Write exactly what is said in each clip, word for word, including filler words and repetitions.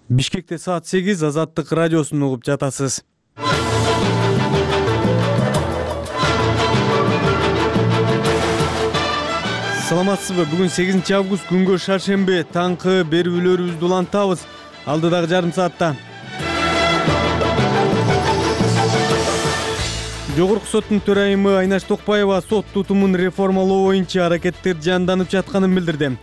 Бишкекте саат сегиз, Азаттык радиосун угуп жатасыз. Саламатсызбы? Бүгүн сегизинчи август, күнгө шаршемби. Таңкы берүүлөрүбүздү улантабыз. Алдыдагы жарым саатта. Жогорку соттун төрайымы Айнаш Токпаева сот тутумун реформалоо боюнча аракеттер жанданып жатканын билдирди.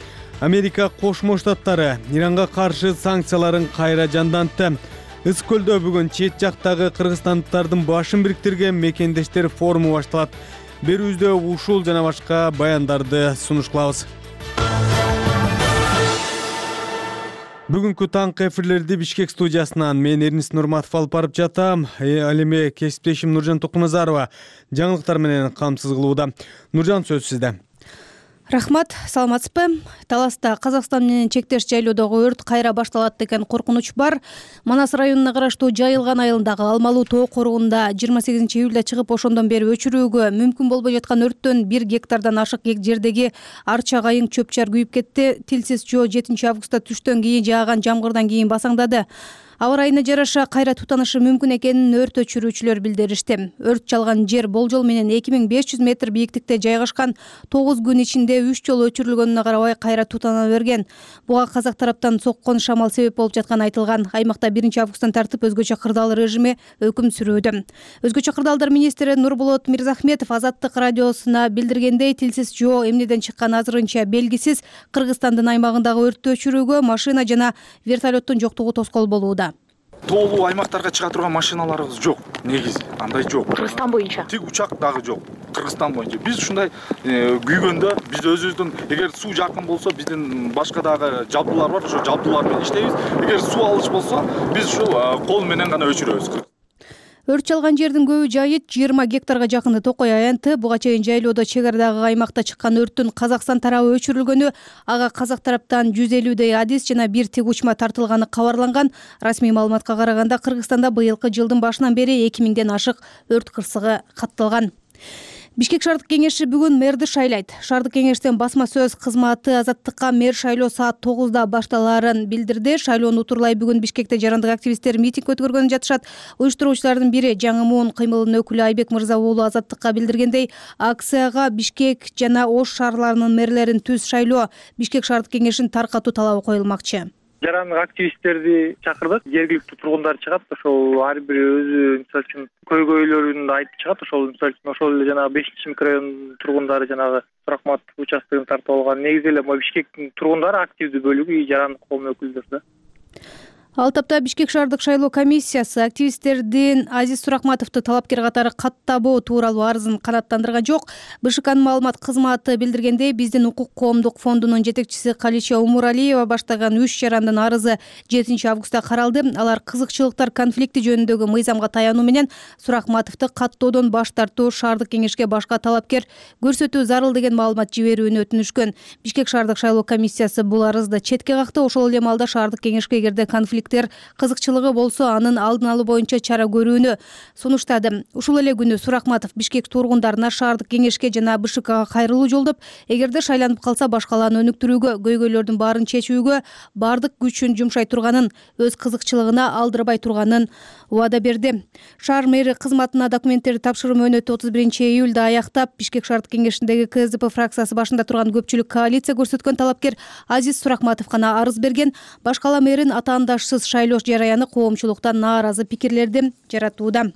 Америка Кошмо Штаттары Иранга каршы санкцияларын кайра жандантты. Ыс көлдө бүгүн чет жактагы кыргызстандыктардын башын бириктирген мекендештер форуму башталат. Берүүбүздө ушул жана башка баяндарды сунуш кылабыз. Бүгүнкү таңкы эфирлерди Бишкек студиясынан мен Эрнис Нурматов алып барып жатам. Ал эми кесиптешим Нуржан Токуназарова жаңылыктар менен камсыз кылууда. Нуржан, сөз сизде. Рахмат, саламатсызбы? Таласта Казакстан менен чектеш жайлоодогу өрт кайра башталат деген коркунуч бар. Манас районуна караштуу Жайылган айылындагы Алмалуу тоо коругунда жыйырма сегизинчи июлда чыгып, ошондон бери өчүрүүгө мүмкүн болбой жаткан өрттөн бир гектардан ашык жердеги арча кайың чөп чар күйүп кетти. Тилсиз жөө жетинчи августта түштөн кийин жааган жамгырдан кийин басаңдады. Аба ырайына жараша кайра тутанышы мүмкүн экенин өрт өчүрүүчүлөр билдиришти. Өрт чалган жер болжол менен эки миң беш жүз метр бийиктикте жайгашкан. тогуз күн ичинде үч жолу өчүрүлгөнүнө карабай кайра тутана берген. Буга казак тараптан соккон шамал себеп болуп жатканы айтылган. Аймакта биринчи августтан тартып өзгөчө кырдаал режими өкүм сүрүүдө. Өзгөчө кырдаалдар министри Нурболот Мирзахметов Азаттык радиосуна билдиргендей, тилсиз жөө эмнеден чыккан азырынча белгисиз. Кыргызстандын аймагындагы өрттү өчүрүүгө машина жана вертолеттун жоктугу тоскоол болууда. Тоолуу аймактарга чыга турган машиналарыбыз жок. Негизи андай жок. Кыргызстан боюнча. Тик учак дагы жок. Кыргызстан боюнча. Биз ушундай күйгөндө, биз өзүбүздүн эгер суу жакын болсо, биздин башка дагы жабдуулар бар, ошо жабдуулар менен иштейбиз. Эгер суу алыш болсо, биз ушул кол менен гана өчүрөбүз. Өрт чалган жердин көбү жайыт жыйырма гектарга жакыны Токой аянты. Буга чейин жайлоодо чек арадагы аймакта чыккан өрттүн Казакстан тарабы өчүрүлгөнү, ага казак тараптан жүз элүүдөй адис жана бир тиг учма тартылганы кабарланган. Расмий маалыматка караганда, Кыргызстанда быйылкы жылдын башынан бери эки миңден ашык өрт кырсыгы катталган. Бишкек шаардык кеңеши бүгүн мэрди шайлайт. Шаардык кеңештин басма сөз кызматы Азаттыкка мэр шайлоо саат тогузда башталаарын билдирди. Шайлоону утурлай бүгүн Бишкекте жарандык активисттер митинг өткөргөнү жатышат. Уюштуруучулардын бири Жаңы Моон кыймылынын өкүлү Айбек Мырза уулу Азаттыкка билдиргендей, акцияга Бишкек жана Ош шаарларынын мэрлерин түз шайлоо Бишкек шаардык кеңешинин таркатуу талабы коюлмакчы. Жарандык активисттерди чакырдык. Жергиликтүү тургундар чыгат. Ошол ар бири өзү мисалы үчүн көйгөйлөрүн айтып чыгат. Ошол мисалы үчүн ошол эле жанагы бешинчи микрорайон тургундары жанагы Суракматов участогун тартып алган. Негизи эле могу Бишкектин тургундары активдүү бөлүгү жарандык коом өкүлдөрү да. Ал тапта Бишкек шаардык шайлоо комиссиясы активисттердин Азиз Суракматовду талапкер катары каттабоо тууралуу арызын канааттандырган жок. БШКнын маалымат кызматы билдиргендей, биздин укук коомдук фондунун жетекчиси Калича Умуралиева баштаган үч жарандын арызы жетинчи августта каралды. Алар кызыкчылыктар конфликти жөнүндөгү мыйзамга таянуу менен Суракматовду каттоодон баш тартуу, шаардык кеңешке башка талапкер көрсөтүү зарыл деген маалымат жиберүүнү өтүнүшкөн. Бишкек шаардык шайлоо комиссиясы бул арызды четке какты. Ошол эле маалда шаардык кеңешке эгерде конфликт кызыкчылыгы болсо, анын алдын алуу боюнча чара көрүүнү сунуштады. Ушул эле күнү Суракматов Бишкек тургундарына шаардык кеңешке жана БШКга кайрылуу жолдоп, эгерде шайланып калса башкаларын өнүктүрүүгө, көйгөйлөрдүн баарын чечүүгө бардык күчүн жумшай турганын, өз кызыкчылыгына алдырбай турганын убада берди. Шаар мэри кызматына документтерди тапшыруу мөөнөтү отуз биринчи июлда аяктап, Бишкек шаардык кеңешиндеги КСДП фракциясы башында турган көпчүлүк коалиция көрсөткөн талапкер Азиз Суракматов гана арыз берген. Башкала мэрин атаандашсыз шайлоо жараяны коомчулуктан нааразы пикирлерди жаратууда.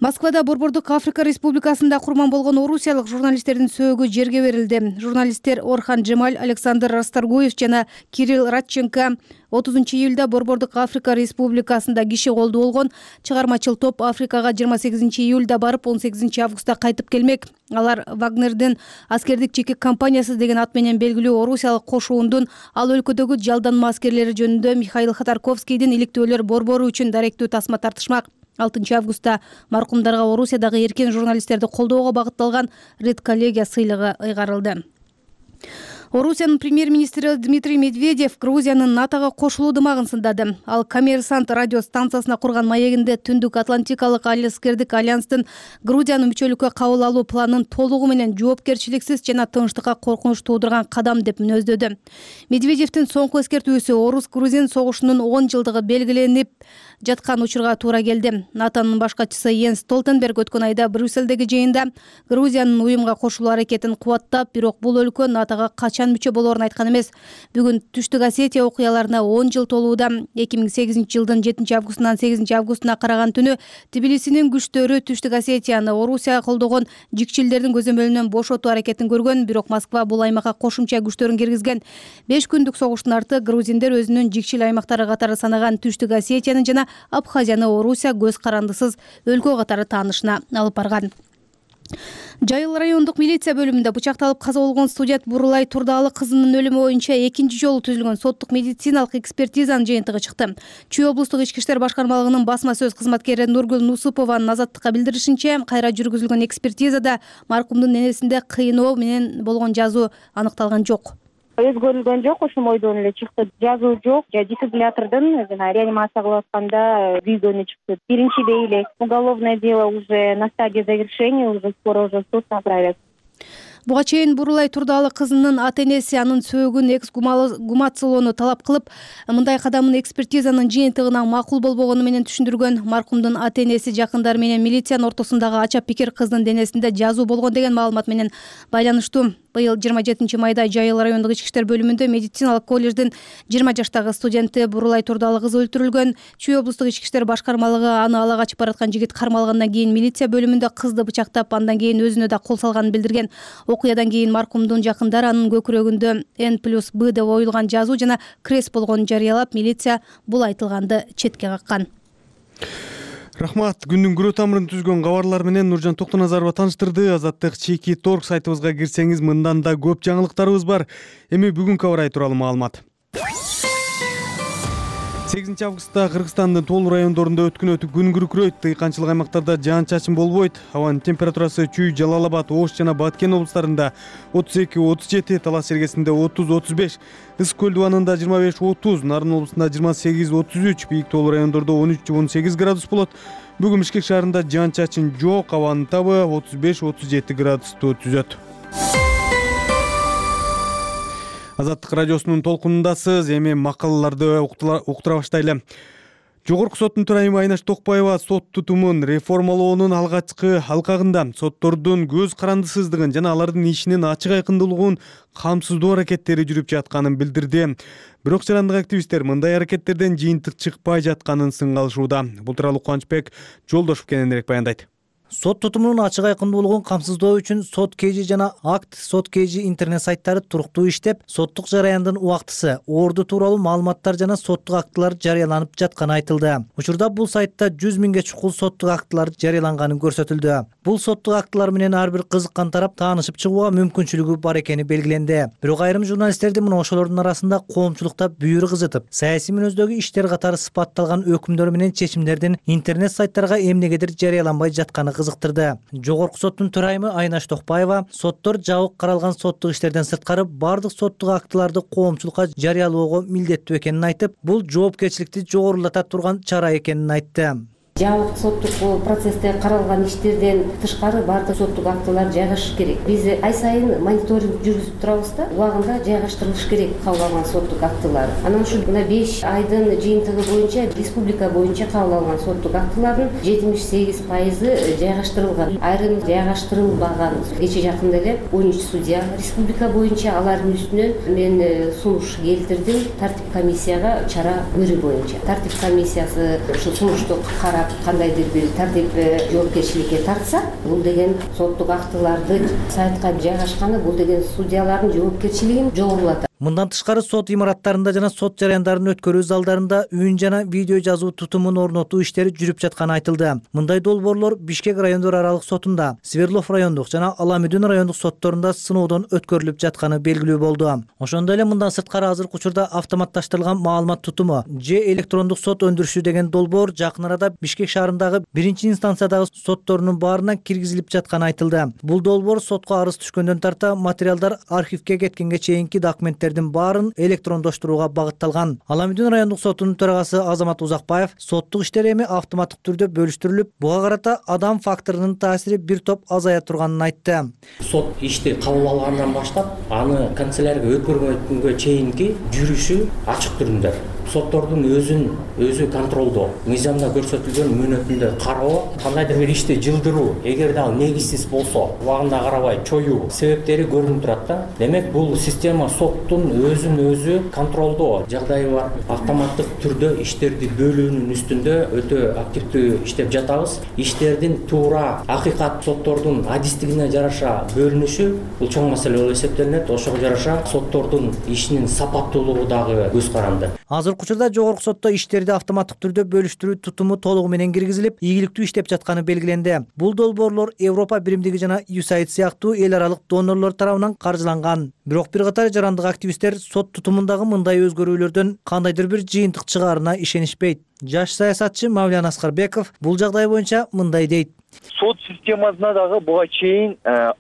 Москвада Борбордук Африка Республикасында курман болгон орусиялык журналисттердин сөөгү жерге берилди. Журналисттер Орхан Джемаль, Александр Расторгуев жана Кирилл Радченко отузунчу июлда Борбордук Африка Республикасында киши колдуу болгон. Чыгармачыл топ Африкага жыйырма сегизинчи июлда барып, он сегизинчи августта кайтып келмек. Алар Вагнердин аскердик чекек компаниясы деген ат менен белгилүү орусиялык кошуундун ал өлкөдөгү жалданма аскерлери жөнүндө Михаил Ходорковскийдин иликтөөлөр борбору үчүн даректүү тасма тартышмак. алтынчы августта маркумдарга Орусиядагы эркин журналисттерди колдоого багытталган Ред коллегия сыйлыгы ыйгарылды. Орусиянын премьер-министри Дмитрий Медведев Грузиянын НАТОго кошулуу дымагын сындады. Ал Коммерсант радио станциясына курган маегинде Түндүк Атлантикалык алыскердик альянстын Грузиянын мүчөлүккө кабыл алуу планын толугу менен жоопкерчиликсиз жана тынчтыкка коркунуч туудурган кадам деп мүнөздөдү. Медведевдин соңку эскертүүсү орус-грузин согушунун он жылдыгы белгиленип жаткан учурга туура келди. НАТОнун башкачысы Йенс Столтенберг өткөн айда Брюссельдеги жыйында Грузиянын уюмга кошулуу аракетин кубаттап, бирок бул өлкө НАТОго качан мүчө болоорун айткан эмес. Бүгүн Түштүк Осетия окуяларына он жыл толууда. эки миң сегизинчи жылдын жетинчи августунан сегизинчи августуна караган түнү Тбилисинин күчтөрү Түштүк Осетияны Орусия колдогон жикчилдердин көзөмөлүнөн бошотуу аракетин көргөн, бирок Москва бул аймакка кошумча күчтөрүн киргизген. беш күндүк согуштун арты грузиндер өзүнүн жикчил аймактары катары санаган Түштүк Осетияны жана Абхазияны Орусия көз карандысыз өлкө катары таанышына алып барган. Жайыл райондук милиция бөлүмүндө бычакталып каза болгон студент Бурулай Турдаалы кызынын өлүмү боюнча экинчи жолу түзүлгөн соттук медициналык экспертизанын жыйынтыгы чыкты. Чүй облустук ички иштер башкармалыгынын басма сөз кызматкери Нургүл Нусупованын Азаттыкка билдиришинче, кайра жүргүзүлгөн экспертизада маркумдун энесинде кыйноо менен болгон жазуу аныкталган жок. Өзгөрүлгөн жок, ошол бойдон эле чыкты. Жазуу жок, дефибриллятордун жана реанимация кылып атканда күйгөнү чыкты. Биринчи бейлек. Уголовное дело уже на стадии завершения, уже скоро уже суд направят. Буга чейин Бурулай Турдаалы кызынын ата-энеси анын сөөгүн эксгумациялоону талап кылып, мындай кадамын экспертизанын жыйынтыгына макул болбогону менен түшүндүргөн. Маркумдун ата-энеси жакындары менен милициянын ортосундагы ача пикир кыздын денесинде жазуу болгон деген маалымат менен байланыштуу. Быйыл жыйырма жетинчи майда Жайыл райондук ички иштер бөлүмүндө медициналык колледждин жыйырма жаштагы студенти Бурулай Турдаалы кызы өлтүрүлгөн. Чүй облустук ички иштер башкармалыгы аны ала качып бараткан жигит кармалгандан кийин милиция бөлүмүндө кызды бычактап, андан кийин өзүнө да кол салганын билдирген. Окуядан кийин маркумдун жакындары анын көкүрөгүндө Н плюс Б деп оюлган жазуу жана крест болгонун жарыялап, милиция бул айтылганды четке каккан. Рахмат. Күндүн күрөө тамырын түзгөн кабарлар менен Нуржан Токтоназарова тааныштырды. Азаттык чеки торг сайтыбызга кирсеңиз, мындан да көп жаңылыктарыбыз бар. Эми бүгүнкү кабар тууралуу маалымат. сегизинчи августта Кыргызстандын тоолуу райондорунда өткөн күн күркүрөйт. Дыйканчылык аймактарда жаан-чачын болбойт. Абанын температурасы Чүй, Жалал Абад, Ош жана Баткен облустарында отуз эки отуз жети, Талас Сергесинде отуз отуз беш, Ысык көл дубанында жыйырма беш отуз, Нарын облусунда жыйырма сегиз отуз үч, бийик тоолуу райондордо он үч он сегиз градус болот. Бүгүн Бишкек шаарында жаан-чачын жок, абанын табы отуз беш отуз жети градусту түзөт. Азаттык радиосунун толкунундасыз. Эми макалаларды уктура баштайлы. Жогорку соттун төрайымы Айнаш Токпаева сот тутумун реформалоонун алгачкы алкагында соттордун көз карандысыздыгын жана алардын ишинин ачык айкындуулугун камсыздоо аракеттери жүрүп жатканын билдирди. Бирок жарандык активисттер мындай аракеттерден жыйынтык чыкпай жатканын сынгалышууда. Бул тууралуу Кубанычбек Жолдошов кененирээк баяндайт. Сот тутумунун ачык айкындуулугун камсыздоо үчүн Сот Кж жана Акт Сот Кж интернет сайттары туруктуу иштеп, соттук жараяндын убактысы, орду тууралуу маалыматтар жана соттук актылар жарыяланып жатканы айтылды. Учурда бул сайтта жүз миңге чукул соттук актылар жарыяланганын көрсөтүлдү. Бул соттук актылар менен ар бир кызыккан тарап таанышып чыгууга мүмкүнчүлүгү бар экени белгиленди. Бирок айрым журналисттердин мына ошолордун арасында коомчулукта бүйүрү кызытып, саясий мүнөздөгү иштер катары сыпатталган өкүмдөр менен чечимдердин интернет сайттарга эмнегедир жарыяланбай жатканы кызыктырды. Жогорку соттун төрайымы Айнаш Токпаева соттор жабык каралган соттук иштерден сырткары бардык соттук актыларды коомчулукка жарыялоого милдеттүү экенин айтып, бул жоопкерчиликти жогорулата турган чара экенин айтты. Жабык соттук процессте каралган иштерден тышкары бардык соттук актылар жайгашыш керек. Биз ай сайын мониторинг жүргүзүп турабыз да, убагында жайгаштырылыш керек кабыл алган соттук актылар. Анан ушул мына беш айдын жыйынтыгы боюнча республика боюнча кабыл алган соттук актылардын жетимиш сегиз пайызы жайгаштырылган. Айрым жайгаштырылбаган. Кече жакында эле он үч судья республика боюнча алардын үстүнөн мен сунуш келтирдим тартип комиссияга чара көрүү боюнча. Тартип комиссиясы ушул сунушту карап кандайдыр бир тартип жоопкерчиликке тартса, бул деген соттук актыларды сайтка жайгашканы, бул деген судьялардын жоопкерчилигин жогорулатат. Мындан тышкары сот имараттарында жана сот жараяндарын өткөрүү залдарында үн жана видео жазуу тутумун орнотуу иштери жүрүп жатканы айтылды. Мындай долбоорлор Бишкек райондор аралык сотунда, Свердлов райондук жана Аламүдүн райондук сотторунда сыноодон өткөрүлүп жатканы белгилүү болду. Ошондой эле мындан сырткары азыркы учурда автоматташтырылган маалымат тутуму же электрондук сот өндүрүшү деген долбоор жакын арада Бишкек шаарындагы биринчи инстанциядагы сотторунун баарына киргизилип жатканы айтылды. Бул долбоор сотко арыз түшкөндөн тарта материалдар архивге кеткенге чейинки документтердин баарын электрондоштурууга багытталган. Аламүдүн райондук сотунун төрагасы Азамат Узакбаев соттук иштер эми автоматтык түрдө бөлүштүрүлүп, буга карата адам факторунун таасири бир топ азая турганын айтты. Сот ишти кабыл алгандан баштап, аны канцелярияга өткөргөнгө чейинки жүрүшү ачык түрүндө. Соттордун өзүн өзү контролдоо, мыйзамда көрсөтүлгөн мөөнөтүндө кароо, кандайдыр бир ишти жылдыруу, эгерде ал негизсиз болсо, убагында карабай чоюу себептери көрүнүп турат да. Демек, бул система соттун өзүн өзү контролдоо жагдайы бар. Автоматтык түрдө иштерди бөлүүнүн үстүндө өтө активдүү иштеп жатабыз. Иштердин туура, акыйкат соттордун адистигине жараша бөлүнүшү бул чоң маселе болуп эсептелинет. Ошого жараша соттордун ишинин сапаттуулугу дагы көз каранды. Азыркы учурда жогорку сотто иштерди автоматтык түрдө бөлүштүрүү тутуму толугу менен киргизилип, ийгиликтүү иштеп жатканы белгиленди. Бул долбоорлор Европа биримдиги жана ю эс эй ай ди сыяктуу эл аралык донорлор тарабынан каржыланган. Бирок бир катар жарандык активисттер сот тутумундагы мындай өзгөрүүлөрдөн кандайдыр бир жыйынтык чыгаарына ишенишпейт. Жаш саясатчы Мавлян Аскарбеков бул жагдай боюнча мындай дейт. Сот системасына дагы буга чейин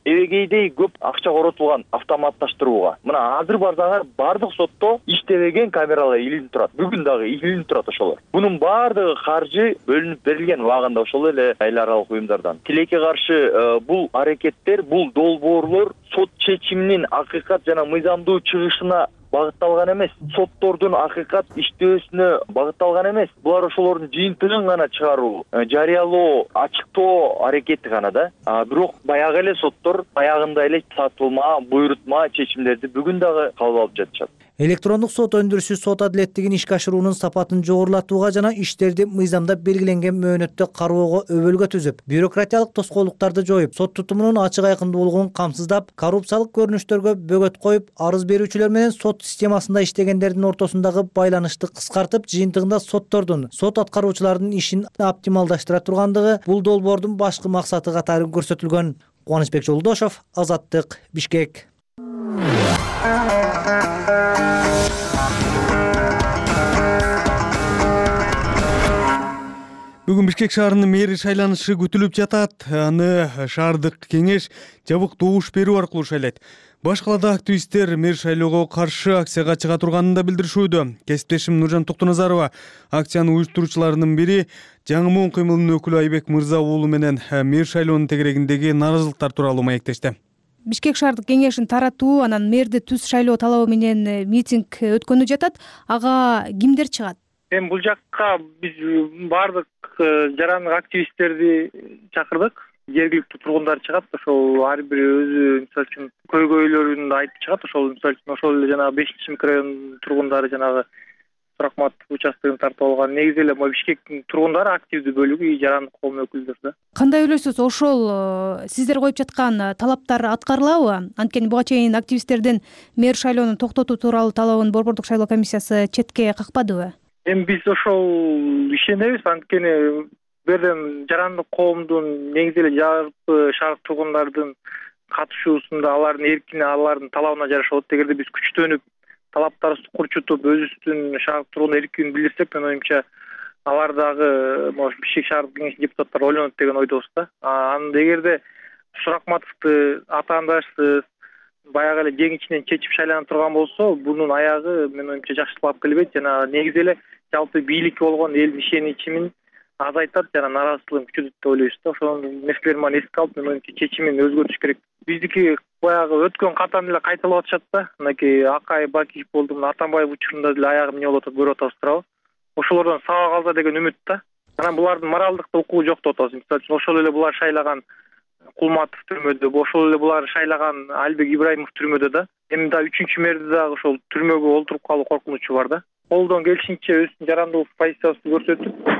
эбегейдей көп акча коротулган автоматташтырууга. Мына азыр барсаңар бардык сотто иштебеген камералар илинип турат. Бүгүн дагы илинип турат ошолор. Бунун баардыгы каржы бөлүнүп берилген убагында ошол эле эл аралык уюмдардан. Тилекке каршы бул аракеттер, бул долбоорлор сот чечиминин акыйкат жана мыйзамдуу чыгышына багытталган эмес, соттордун акыйкат иштөөсүнө багытталган эмес. Булар ошолордун жыйынтыгын гана чыгаруу, жарыялоо, ачыктоо аракети гана да. Бирок баягы эле соттор баягында эле сатылма, буйрутма чечимдерди бүгүн дагы кабыл алып жатышат. Электрондук сот өндүрүшү сот адилеттигин ишке ашыруунун сапатын жогорулатууга жана иштерди мыйзамда белгиленген мөөнөттө кароого өбөлгө түзүп, бюрократиялык тоскоолдуктарды жоюп, сот тутумунун ачык айкындуулугун камсыздап, коррупциялык көрүнүштөргө бөгөт коюп, арыз берүүчүлөр менен сот системасында иштегендердин ортосундагы байланышты кыскартып, жыйынтыгында соттордун, сот аткаруучулардын ишин оптималдаштыра тургандыгы бул долбоордун башкы максаты катары көрсөтүлгөн. Кубанычбек Жолдошов, Азаттык, Бишкек. Бүгүн Бишкек шаарынын мэри шайланышы күтүлүп жатат. Аны шаардык кеңеш жабык добуш берүү аркылуу шайлайт. Баш калаада активисттер мэр шайлоого каршы акцияга чыга турганын да билдиришүүдө. Кесиптешим Нуржан Токтоназарова акциянын уюштуруучуларынын бири Жаңы Моон кыймылынын өкүлү Айбек Мырза уулу менен мэр шайлоонун тегерегиндеги нааразылыктар тууралуу маектешти. Бишкек шаардык кеңешин таратуу, анан мэрди түз шайлоо талабы менен митинг өткөнү жатат. Ага кимдер чыгат? Эми бул жакка биз баардык жарандык активисттерди чакырдык. Жергиликтүү тургундар чыгат, ошол ар бири өзү мисалы үчүн көйгөйлөрүн айтып чыгат. Ошол мисалы үчүн ошол эле жанагы бешинчи микрорайон тургундары жанагы Суракматов участогун тартып алган. Негизи эле могу Бишкектин тургундары активдүү бөлүгү жарандык коом өкүлдөрү да. Кандай ойлойсуз, ошол сиздер коюп жаткан талаптар аткарылабы? Анткени буга чейин активисттердин мэр шайлоону токтотуу тууралуу талабын Борбордук шайлоо комиссиясы четке какпадыбы? Эми биз ошол ишенебиз, анткени бирден жарандык коомдун негизи эле жалпы шаардык тургундардын катышуусунда алардын эркине, алардын талабына жараша болот. Эгерде биз күчтөнүп, талаптарыбызды курчутуп, өзүбүздүн шаардык тургун эркин билдирсек, мен оюмча алар дагы могу Бишкек шаардык кеңешинин депутаттары ойлонот деген ойдобуз да. Анда эгерде Суракматовду атаандашсыз, баягы эле жең ичинен чечип шайлана турган болсо, бунун аягы мен оюмча жакшылыкка алып келбейт. Жана негизи эле жалпы бийликке болгон элдин ишенимин азайтат жана нааразычылыгын күчөтөт деп ойлойбуз да. Ошол нерселерди мана эске алып, мен оюмча чечимин өзгөртүш керек. Биздики баягы өткөн катан эле кайталап атышат да. Мынакей Акай Бакич болду, мына Атамбаев учурунда деле аягы эмне болуп атат көрүп атабыз туурабы. Ошолордон сабак алса деген үмүт да. Анан булардын моралдык укугу жок деп атабыз. Мисалы үчүн ошол эле булар шайлаган Кулматов түрмөдө, ошол эле булар шайлаган Албек Ибраимов түрмөдө да. Эми да үчүнчү мэрди дагы ошол түрмөгө олтуруп калуу коркунучу бар да. Колдон келишинче өзүнүн жарандылык позициясын көрсөтүп,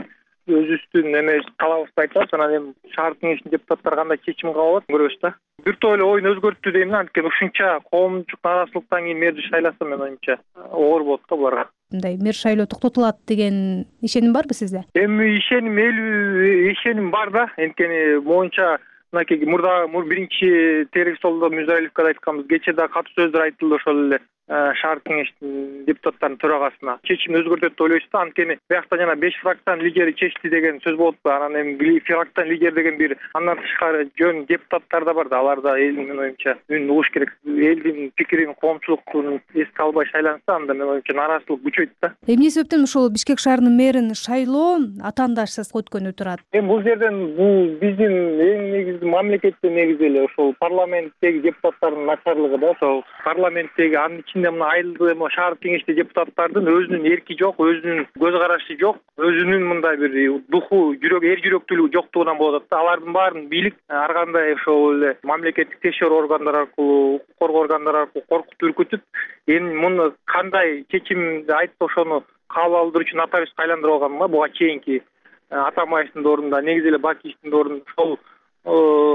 өзүбүздүн эме талабыбызды айтабыз. Анан эми шаар кеңешинин депутаттары кандай чечим кабыл алат көрөбүз да. Бир топ эле оюн өзгөрттү дейм да, анткени ушунча коомчулук нааразычылыктан кийин мэрди шайласа менин оюмча оор болот да буларга. Мындай мэр шайлоо токтотулат деген ишеним барбы сизде? Эми ишеним элүү ишеним бар да. Анткени моюнча мынакей мурда мур биринчи терек столдо Мирзалиевге айтканбыз. Кечээ да катуу сөздөр айтылды ошол эле шаар кеңешинин депутаттарынын төрагасына. Чечимди өзгөртөт деп ойлойбуз да, анткени биякта жана беш фракциянын лидери чечти деген сөз болуп, анан эми фракциянын лидери деген бир андан тышкары жөн депутаттар да бар да. Алар да элдин менин оюмча үнүн угуш керек. Элдин пикирин, коомчулуктун эске албай шайланса, анда менин оюмча нааразычылык күчөйт да. Эмне себептен ошол Бишкек шаарынын мэрин шайлоо атаандашсыз өткөнү турат? Эми бул жерден бул биздин эң негизги мамлекетте негизи эле ошол парламенттеги депутаттардын начарлыгы да. Ошол парламенттеги анын ичинде мына айылдык эми шаар кеңеште депутаттардын өзүнүн эрки жок, өзүнүн көз карашы жок, өзүнүн мындай бир духу, жүрөк, эр жүрөктүүлүгү жоктугунан болуп атат да. Алардын баарын бийлик ар кандай ошол эле мамлекеттик текшерүү органдары аркылуу, укук коргоо органдары аркылуу коркутуп үркүтүп, эми муну кандай чечимди айтып ошону кабыл алдыруу үчүн нотариуска айландырып алганга буга чейинки Атамбаевдин ордунда, негизи эле Бакиевдин ордунда ошол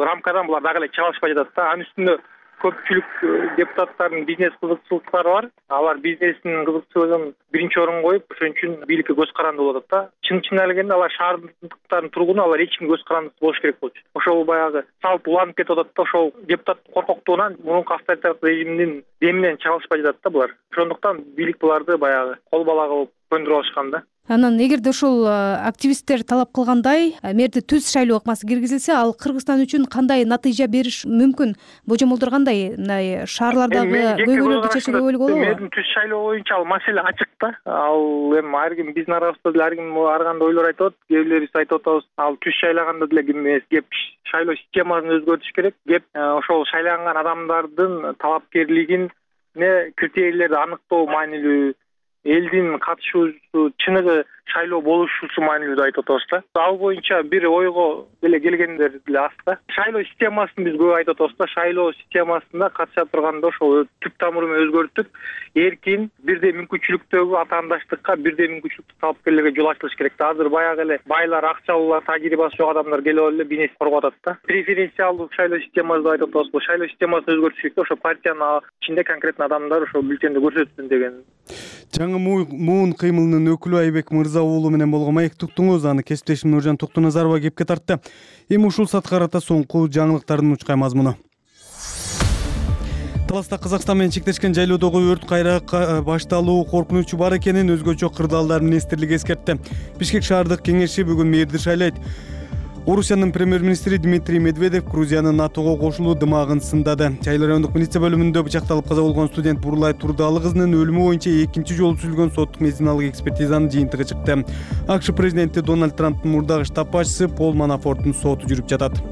рамкадан булар дагы эле чыга алышпай жатат да. Анын үстүнө көпчүлүк депутаттардын бизнес кызыкчылыктары бар. Алар бизнестин кызыкчылыгын биринчи орунга коюп, ошон үчүн бийликке көз каранды болуп атат да. Чын чын келгенде алар шаардыктардын тургуну, алар эч кимге көз карандысыз болуш керек болчу. Ошол баягы салт уланып кетип атат да. Ошол депутат коркоктугунан мурунку авторитарлык режимдин деминен чыга алышпай жатат да булар. Ошондуктан бийлик буларды баягы кол бала кылып көндүрүп алышкан да. Анан эгерде ошол активисттер талап кылгандай мэрди түз шайлоо ыкмасы киргизилсе, ал Кыргызстан үчүн кандай натыйжа бериш мүмкүн? Божомолдор кандай? Мындай шаарлардагы көйгөйлөрдү чечүүгө болобу? Мэрдин түз шайлоо боюнча ал маселе ачык да. Ал эми ар ким биздин арабызда деле ар ким ар кандай ойлор айтып атат. Кээ бирлерибиз айтып атабыз, ал түз шайлаганда деле ким эмес, кеп шайлоо системасын өзгөртүш керек. Кеп ошол шайланган адамдардын талапкерлигин, критерийлерди аныктоо маанилүү, элдин катышуусу, чыныгы шайлоо болушусу маанилүү деп айтып атабыз да. Ал боюнча бир ойго деле келгендер деле аз да. Шайлоо системасын биз көп айтып атабыз да. Шайлоо системасында катыша турганда ошол түп тамыры менен өзгөртүп, эркин, бирдей мүмкүнчүлүктөгү атаандаштыкка, бирдей мүмкүнчүлүктүү талапкерлерге жол ачылыш керек да. Азыр баягы эле байлар, акчалуулар, тажрыйбасы жок адамдар келип алып эле бизнес коргоп атат да. Преференциалдуу шайлоо системасы деп айтып атабыз. Бул шайлоо системасын өзгөртүш керек да. Ошо партиянын ичинде конкретно адамдар ошол бюллетенди көрсөтсүн деген. Жаңы муун кыймылынын өкүлү Айбек Мырза уулу менен болгон маектуктуңуз, аны кесиптешим Нуржан Токтоназарова кепке тартты. Эми ушул сатка карата соңку жаңылыктардын учкай мазмуну. Таласта Казакстан менен чектешкен жайлоодогу өрт кайра башталуу коркунучу бар экенин өзгөчө кырдаалдар министрлиги эскертти. Бишкек шаардык кеңеши бүгүн мэрди шайлайт. Орусиянын премьер-министри Дмитрий Медведев Грузиянын НАТОго кошулуу дымагын сындады. Чайлы райондук милиция бөлүмүндө бычакталып каза болгон студент Бурлай Турдалы кызынын өлүмү боюнча экинчи жолу түзүлгөн соттук медициналык экспертизанын жыйынтыгы чыкты. АКШ президенти Дональд Трамптын мурдагы штаб башчысы Пол Манафорттун соту жүрүп жатат.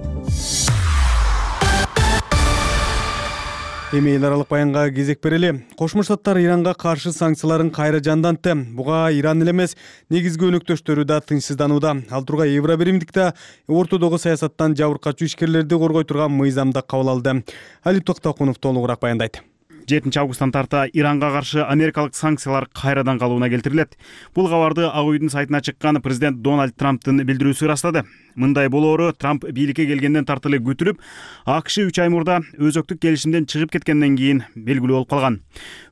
Эми эл аралык баянга кезек берели. Кошмо Штаттар Иранга каршы санкцияларын кайра жандантты. Буга Иран эле эмес, негизги өнөктөштөрү да тынчсызданууда. Ал тургай Евробиримдик да ортодогу саясаттан жабыркачуу ишкерлерди коргой турган мыйзам да кабыл алды. Али Токтокунов толугураак баяндайт. жетинчи августтан тарта Иранга каршы америкалык санкциялар кайрадан калууна келтирилет. Бул кабарды Ак үйдүн сайтына чыккан президент Дональд Трамптын билдирүүсү ырастады. Мындай болоору Трамп бийликке келгенден тарты эле күтүлүп, АКШ үч ай мурда өзөктүк келишимден чыгып кеткенден кийин белгилүү болуп калган.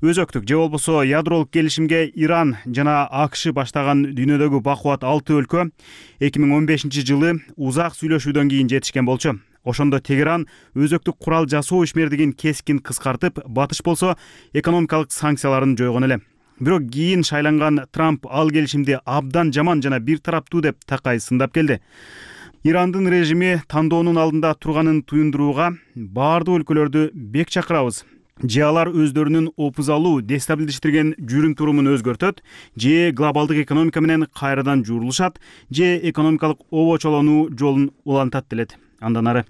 Өзөктүк же болбосо ядролук келишимге Иран жана АКШ баштаган дүйнөдөгү бакубат алты өлкө эки миң он бешинчи жылы узак сүйлөшүүдөн кийин жетишкен болчу. Ошондо Тегеран өзөктүк курал жасоо ишмердигин кескин кыскартып, Батыш болсо экономикалык санкцияларын жойгон эле. Бирок кийин шайланган Трамп ал келишимди абдан жаман жана бир тараптуу деп такай сындап келди. Ирандын режими тандоонун алдында турганын туюндурууга баардык өлкөлөрдү бек чакырабыз. Же алар өздөрүнүн опузалуу, дестабилдештирген жүрүм турумун өзгөртөт, же глобалдык экономика менен кайрадан журулушат, же экономикалык обочолонуу жолун улантат делет. Андан ары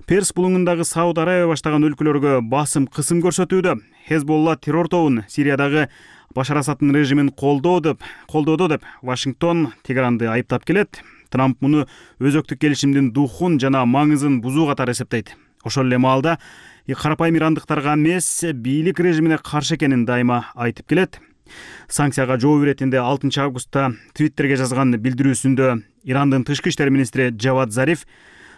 Перс булуңундагы Сауд Арабия баштаган өлкөлөргө басым кысым көрсөтүүдө. Хезболла террор тобун Сириядагы Башар Асадтын режимин колдоо деп, колдоодо деп Вашингтон Тегеранды айыптап келет. Трамп муну өзөктүк келишимдин духун жана маңызын бузуу катары эсептейт. Ошол эле маалда карапайым ирандыктарга эмес, бийлик режимине каршы экенин дайыма айтып келет. Санкцияга жооп иретинде алтынчы августта Твиттерге жазган билдирүүсүндө Ирандын тышкы иштер министри Джавад Зариф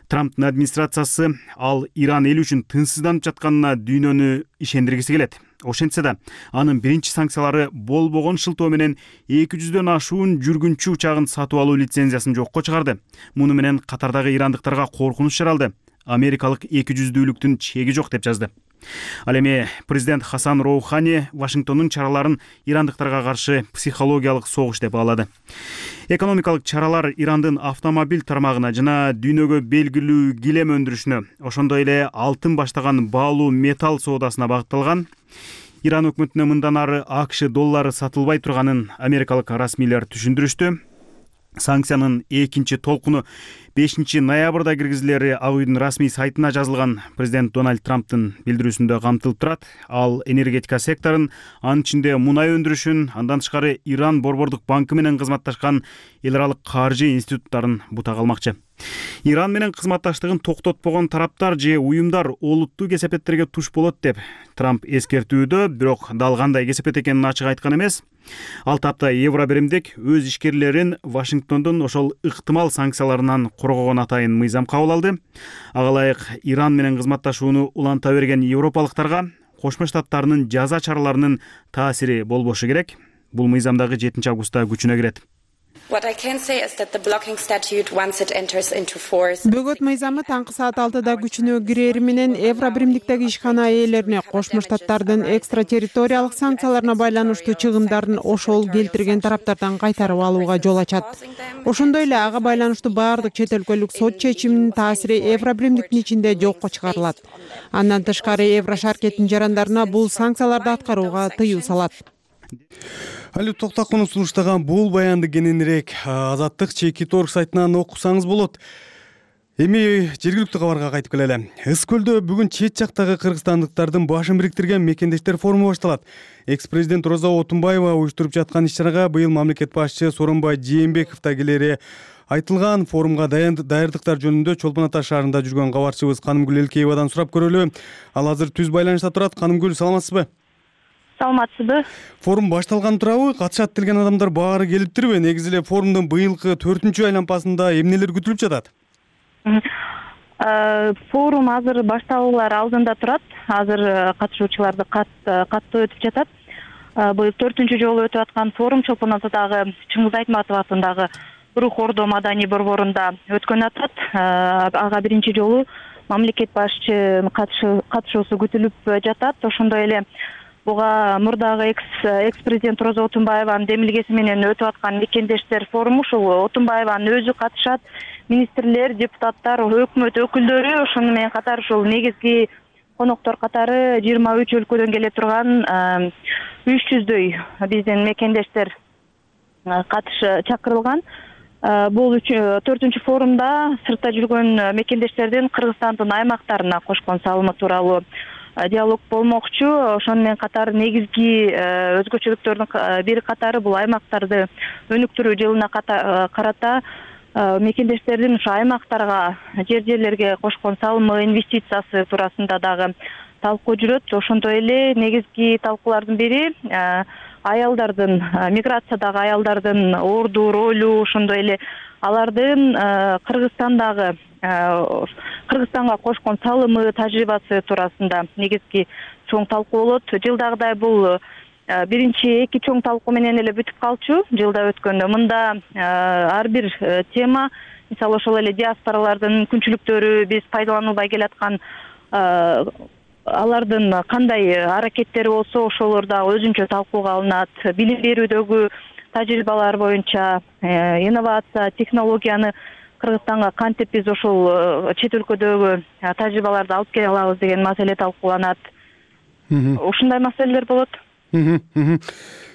Трамптын администрациясы ал Иран эли үчүн тынчсызданып жатканына дүйнөнү ишендиргиси келет. Ошентсе да анын биринчи санкциялары болбогон шылтоо менен эки жүздөн ашуун жүргүнчү учагын сатып алуу лицензиясын жокко чыгарды. Муну менен катардагы ирандыктарга коркунуч жаралды. Америкалык эки жүздүүлүктүн чеги жок деп жазды. Ал эми президент Хасан Роухани Вашингтондун чараларын ирандыктарга каршы психологиялык согуш деп баалады. Экономикалык чаралар Ирандын автомобиль тармагына жана дүйнөгө белгилүү килем өндүрүшүнө, ошондой эле алтын баштаган баалуу металл соодасына багытталган. Иран өкмөтүнө мындан ары АКШ доллары сатылбай турганын америкалык расмийлер түшүндүрүштү. Санкциянын экинчи толкуну бешинчи ноябрда киргизилери Ак үйдүн расмий сайтына жазылган президент Дональд Трамптын билдирүүсүндө камтылып турат. Ал энергетика секторун, анын ичинде мунай өндүрүшүн, андан тышкары Иран борбордук банкы менен кызматташкан эл аралык каржы институттарын бутак алмакчы. Иран менен кызматташтыгын токтотпогон тараптар же уюмдар олуттуу кесепеттерге туш болот деп Трамп эскертүүдө, бирок дал кандай кесепет экенин ачык айткан эмес. Ал тапта Евробиримдик өз ишкерлерин Вашингтондун ошол ыктымал санкцияларынан коргогон атайын мыйзам кабыл алды. Ага ылайык Иран менен кызматташууну уланта берген европалыктарга Кошмо Штаттарынын жаза чараларынын таасири болбошу керек. Бул мыйзам дагы жетинчи августта күчүнө кирет. Бөгөт мыйзамы таңкы саат алтыда күчүнө кирери менен Евробиримдиктеги ишкана ээлерине Кошмо Штаттардын экстратерриториялык санкцияларына байланыштуу чыгымдарын ошол келтирген тараптардан кайтарып алууга жол ачат. Ошондой эле ага байланыштуу баардык чет өлкөлүк сот чечиминин таасири Евробиримдиктин ичинде жокко чыгарылат. Андан тышкары Еврошаркеттин жарандарына бул санкцияларды аткарууга тыюу салат. Алип Токтакунов сунуштаган бул баянды кененирээк Азаттык чеки торг сайтынан окусаңыз болот. Эми жергиликтүү кабарга кайтып келели. Ыс көлдө бүгүн чет жактагы кыргызстандыктардын башын бириктирген мекендештер форуму башталат. Экс-президент Роза Отунбаева уюштуруп жаткан иш-чарага быйыл мамлекет башчы Сооронбай Жээнбеков да келери айтылган. Форумга даярдыктар жөнүндө Чолпон Ата шаарында жүргөн кабарчыбыз Канымгүл Элкеевадан сурап көрөлү. Ал азыр түз байланышта турат. Канымгүл, саламатсызбы? Саламатсызбы? Форум башталган турабы? Катышат делген адамдар баары келиптирби? Негизи эле форумдун быйылкы төртүнчү айлампасында эмнелер күтүлүп жатат? Форум азыр башталуулар алдында турат. Азыр катышуучуларды каттуу өтүп жатат. Быйыл төртүнчү жолу өтүп аткан форум Чолпон Атадагы Чыңгыз Айтматов атындагы Рух Ордо маданий борборунда өткөн атат. Ага биринчи жолу мамлекет башчынын катышуусу күтүлүп жатат. Ошондой эле буга мурдагы экс-президент Роза Отунбаеванын демилгеси менен өтүп аткан мекендештер форуму, ушул Отунбаеванын өзү катышат, министрлер, депутаттар, өкмөт өкүлдөрү, ошону менен катар ушул негизги коноктор катары жыйырма үч өлкөдөн келе турган үч жүздөй биздин мекендештер катыш чакырылган. Бул төртүнчү форумда сыртта жүргөн мекендештердин Кыргызстандын аймактарына кошкон салымы тууралуу диалог болмокчу. Ошону менен катар негизги өзгөчөлүктөрдүн бир катары бул аймактарды өнүктүрүү жылына карата мекендештердин ушу аймактарга, жер жерлерге кошкон салымы, инвестициясы туурасында дагы талкуу жүрөт. Ошондой эле негизги талкуулардын бири аялдардын, миграциядагы аялдардын орду, ролу, ошондой эле алардын Кыргызстандагы Кыргызстанга кошкон салымы, тажрыйбасы туурасында негизги чоң талкуу болот. Жылдагыдай бул биринчи эки чоң талкуу менен эле бүтүп калчу. Жылда өткөндө мында ар бир тема, мисалы ошол эле диаспоралардын күнчүлүктөрү, биз пайдаланылбай келаткан алардын кандай аракеттери болсо ошолор дагы өзүнчө талкууга алынат. Билим берүүдөгү тажрыйбалар боюнча инновация, технологияны Кыргызстанга кантип биз ошол чет өлкөдөгү тажрыйбаларды алып келе алабыз деген маселе талкууланат. Ушундай маселелер болот.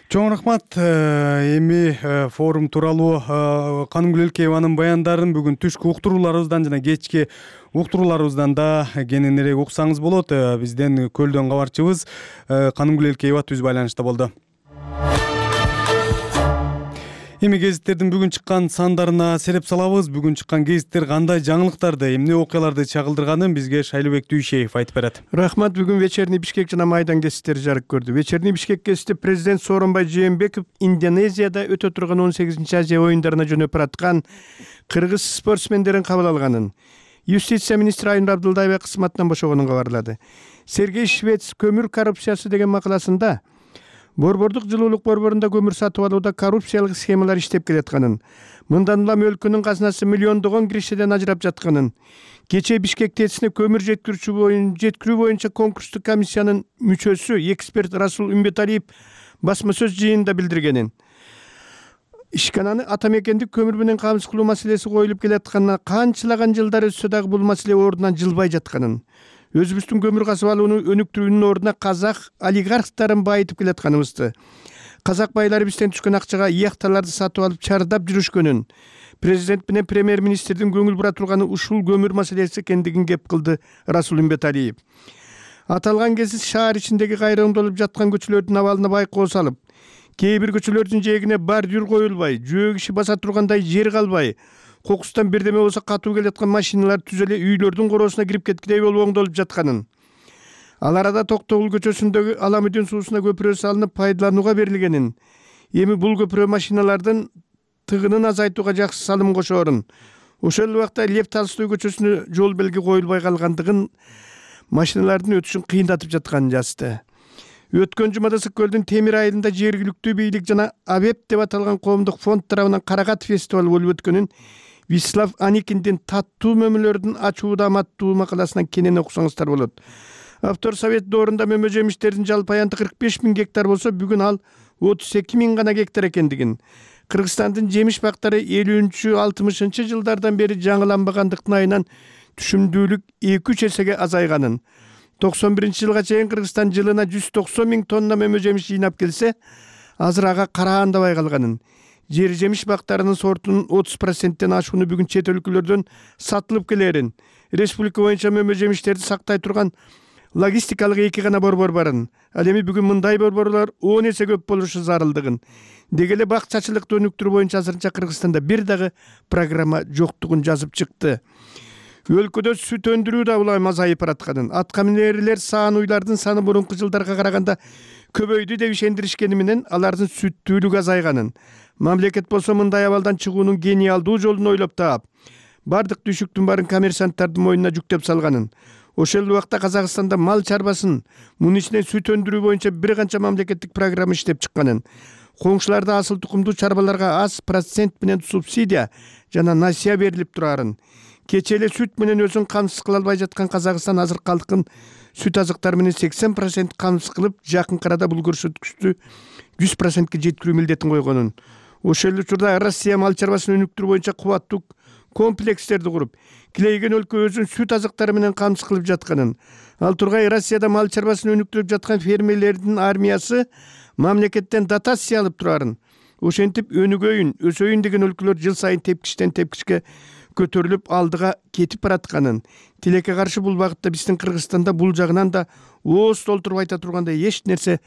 Чоң рахмат. Эми форум тууралуу Канымгүл Элкееванын баяндарын бүгүн түшкү уктурууларыбыздан жана кечки уктурууларыбыздан да кененирээк уксаңыз болот. Бизден Көлдөн кабарчыбыз Канымгүл Элкеева түз байланышта болду. Эми гезиттердин бүгүн чыккан сандарына селеп салабыз. Бүгүн чыккан гезиттер кандай жаңылыктарды, эмне окуяларды чагылдырганын бизге Шайлыбек Дүйшеев айтып берет. Рахмат. Бүгүн Вечерний Бишкек жана Майдан гезиттери жарык көрдү. Вечерний Бишкек гезити президент Сооронбай Жээнбеков Индонезияда өтө турган он сегизинчи Азия оюндарына жөнөп бараткан кыргыз спортсмендерин кабыл алганын, юстиция министри Айнур Абдылдаева кызматынан бошогонун кабарлады. Сергей Швец көмүр коррупциясы деген макаласында Борбордук жылуулук борборунда көмүр сатып алууда коррупциялык схемалар иштеп келатканын, мындан улам өлкөнүн казынасы миллиондогон киришеден ажырап жатканын, кечээ Бишкек ТЭЦине көмүр жеткирүүчү боюнча жеткирүү боюнча конкурстук комиссиянын мүчөсү эксперт Расул Үмбеталиев басма сөз жыйынында билдиргенин, ишкананы ата мекендик көмүр менен камсыз кылуу маселеси коюлуп келатканына канчалаган жылдар өтсө дагы бул маселе ордунан жылбай жатканын, өзүбүздүн көмүр казып алууну өнүктүрүүнүн ордуна казак олигархтарын байытып келатканыбызды, казак байлары бизден түшкөн акчага яхталарды сатып алып чардап жүрүшкөнүн, президент менен премьер министрдин көңүл бура турганы ушул көмүр маселеси экендигин кеп кылды Расул Үмбеталиев. Аталган гезит шаар ичиндеги кайрылымдалып жаткан көчөлөрдүн абалына байкоо салып, кээ бир көчөлөрдүн жээгине бордюр коюлбай, жөө киши баса тургандай жер калбай, кокустан бирдеме болсо катуу келаткан машиналар түз эле үйлөрдүн короосуна кирип кеткидей болуп оңдолуп жатканын, ал арада Токтогул көчөсүндөгү Аламүдүн суусуна көпүрө салынып пайдаланууга берилгенин, эми бул көпүрө машиналардын тыгынын азайтууга жакшы салым кошоорун, ошол убакта Лев Толстой көчөсүнө жол белги коюлбай калгандыгын, машиналардын өтүшүн кыйындатып жатканын жазды. Өткөн жумада Ысык көлдүн Темир айылында жергиликтүү бийлик жана Абеп деп аталган коомдук фонд тарабынан каракат фестивалы болуп өткөнүн Вячеслав Аникиндин «Таттуу мөмөлөрдүн ачууда аматтуу» макаласынан кенен окусаңыздар болот. Автор совет доорунда мөмө жемиштердин жалпы аянты кырк беш миң гектар болсо, бүгүн ал отуз эки миң гана гектар экендигин, Кыргызстандын жемиш бактары элүүнчү алтымышынчы жылдардан бери жаңыланбагандыктын айынан түшүмдүүлүк эки үч эсеге азайганын, токсон биринчи жылга чейин Кыргызстан жылына жүз токсон миң тонна мөмө жемиш жыйнап келсе, азыр ага караандабай калганын, жер жемиш бактарынын сортунун отуз проценттен ашууну бүгүн чет өлкөлөрдөн сатылып келерин, республика боюнча мөмө жемиштерди сактай турган логистикалык эки гана борбор барын, ал эми бүгүн мындай борборлор он эсе көп болушу зарылдыгын, деги эле бакчачылыкты өнүктүрүү боюнча азырынча Кыргызстанда бир дагы программа жоктугун жазып чыкты. Өлкөдө сүт өндүрүү да улам азайып баратканын, атка минерлер саан уйлардын саны мурунку жылдарга караганда көбөйдү деп ишендиришкени менен алардын сүттүүлүгү азайганын, мамлекет болсо мындай абалдан чыгуунун гениалдуу жолун ойлоп таап, бардык түйшүктүн баарын коммерсанттардын мойнуна жүктөп салганын, ошол убакта Казакстанда мал чарбасын, мунун ичинен сүт өндүрүү боюнча бир канча мамлекеттик программа иштеп чыкканын, коңшуларда асыл тукумдуу чарбаларга аз процент менен субсидия жана насыя берилип турарын, кечээ эле сүт менен өзүн камсыз кыла албай жаткан Казакстан азыр калкын сүт азыктары менен сексен процент камсыз кылып, жакын арада бул көрсөткүчтү жүз процентке жеткирүү милдетин койгонун, ошол эле учурда Россия мал чарбасын өнүктүрүү боюнча кубаттуу комплекстерди куруп, килейген өлкө өзүн сүт азыктары менен камсыз кылып жатканын, ал тургай Россияда мал чарбасын өнүктүрүп жаткан фермерлердин армиясы мамлекеттен дотация алып турарын, ошентип өнүгөйүн, өсөйүн деген өлкөлөр жыл сайын тепкичтен тепкичке көтөрүлүп алдыга кетип баратканын, тилекке каршы бул багытта биздин Кыргызстанда бул жагынан да ооз толтуруп айта тургандай эч нерсе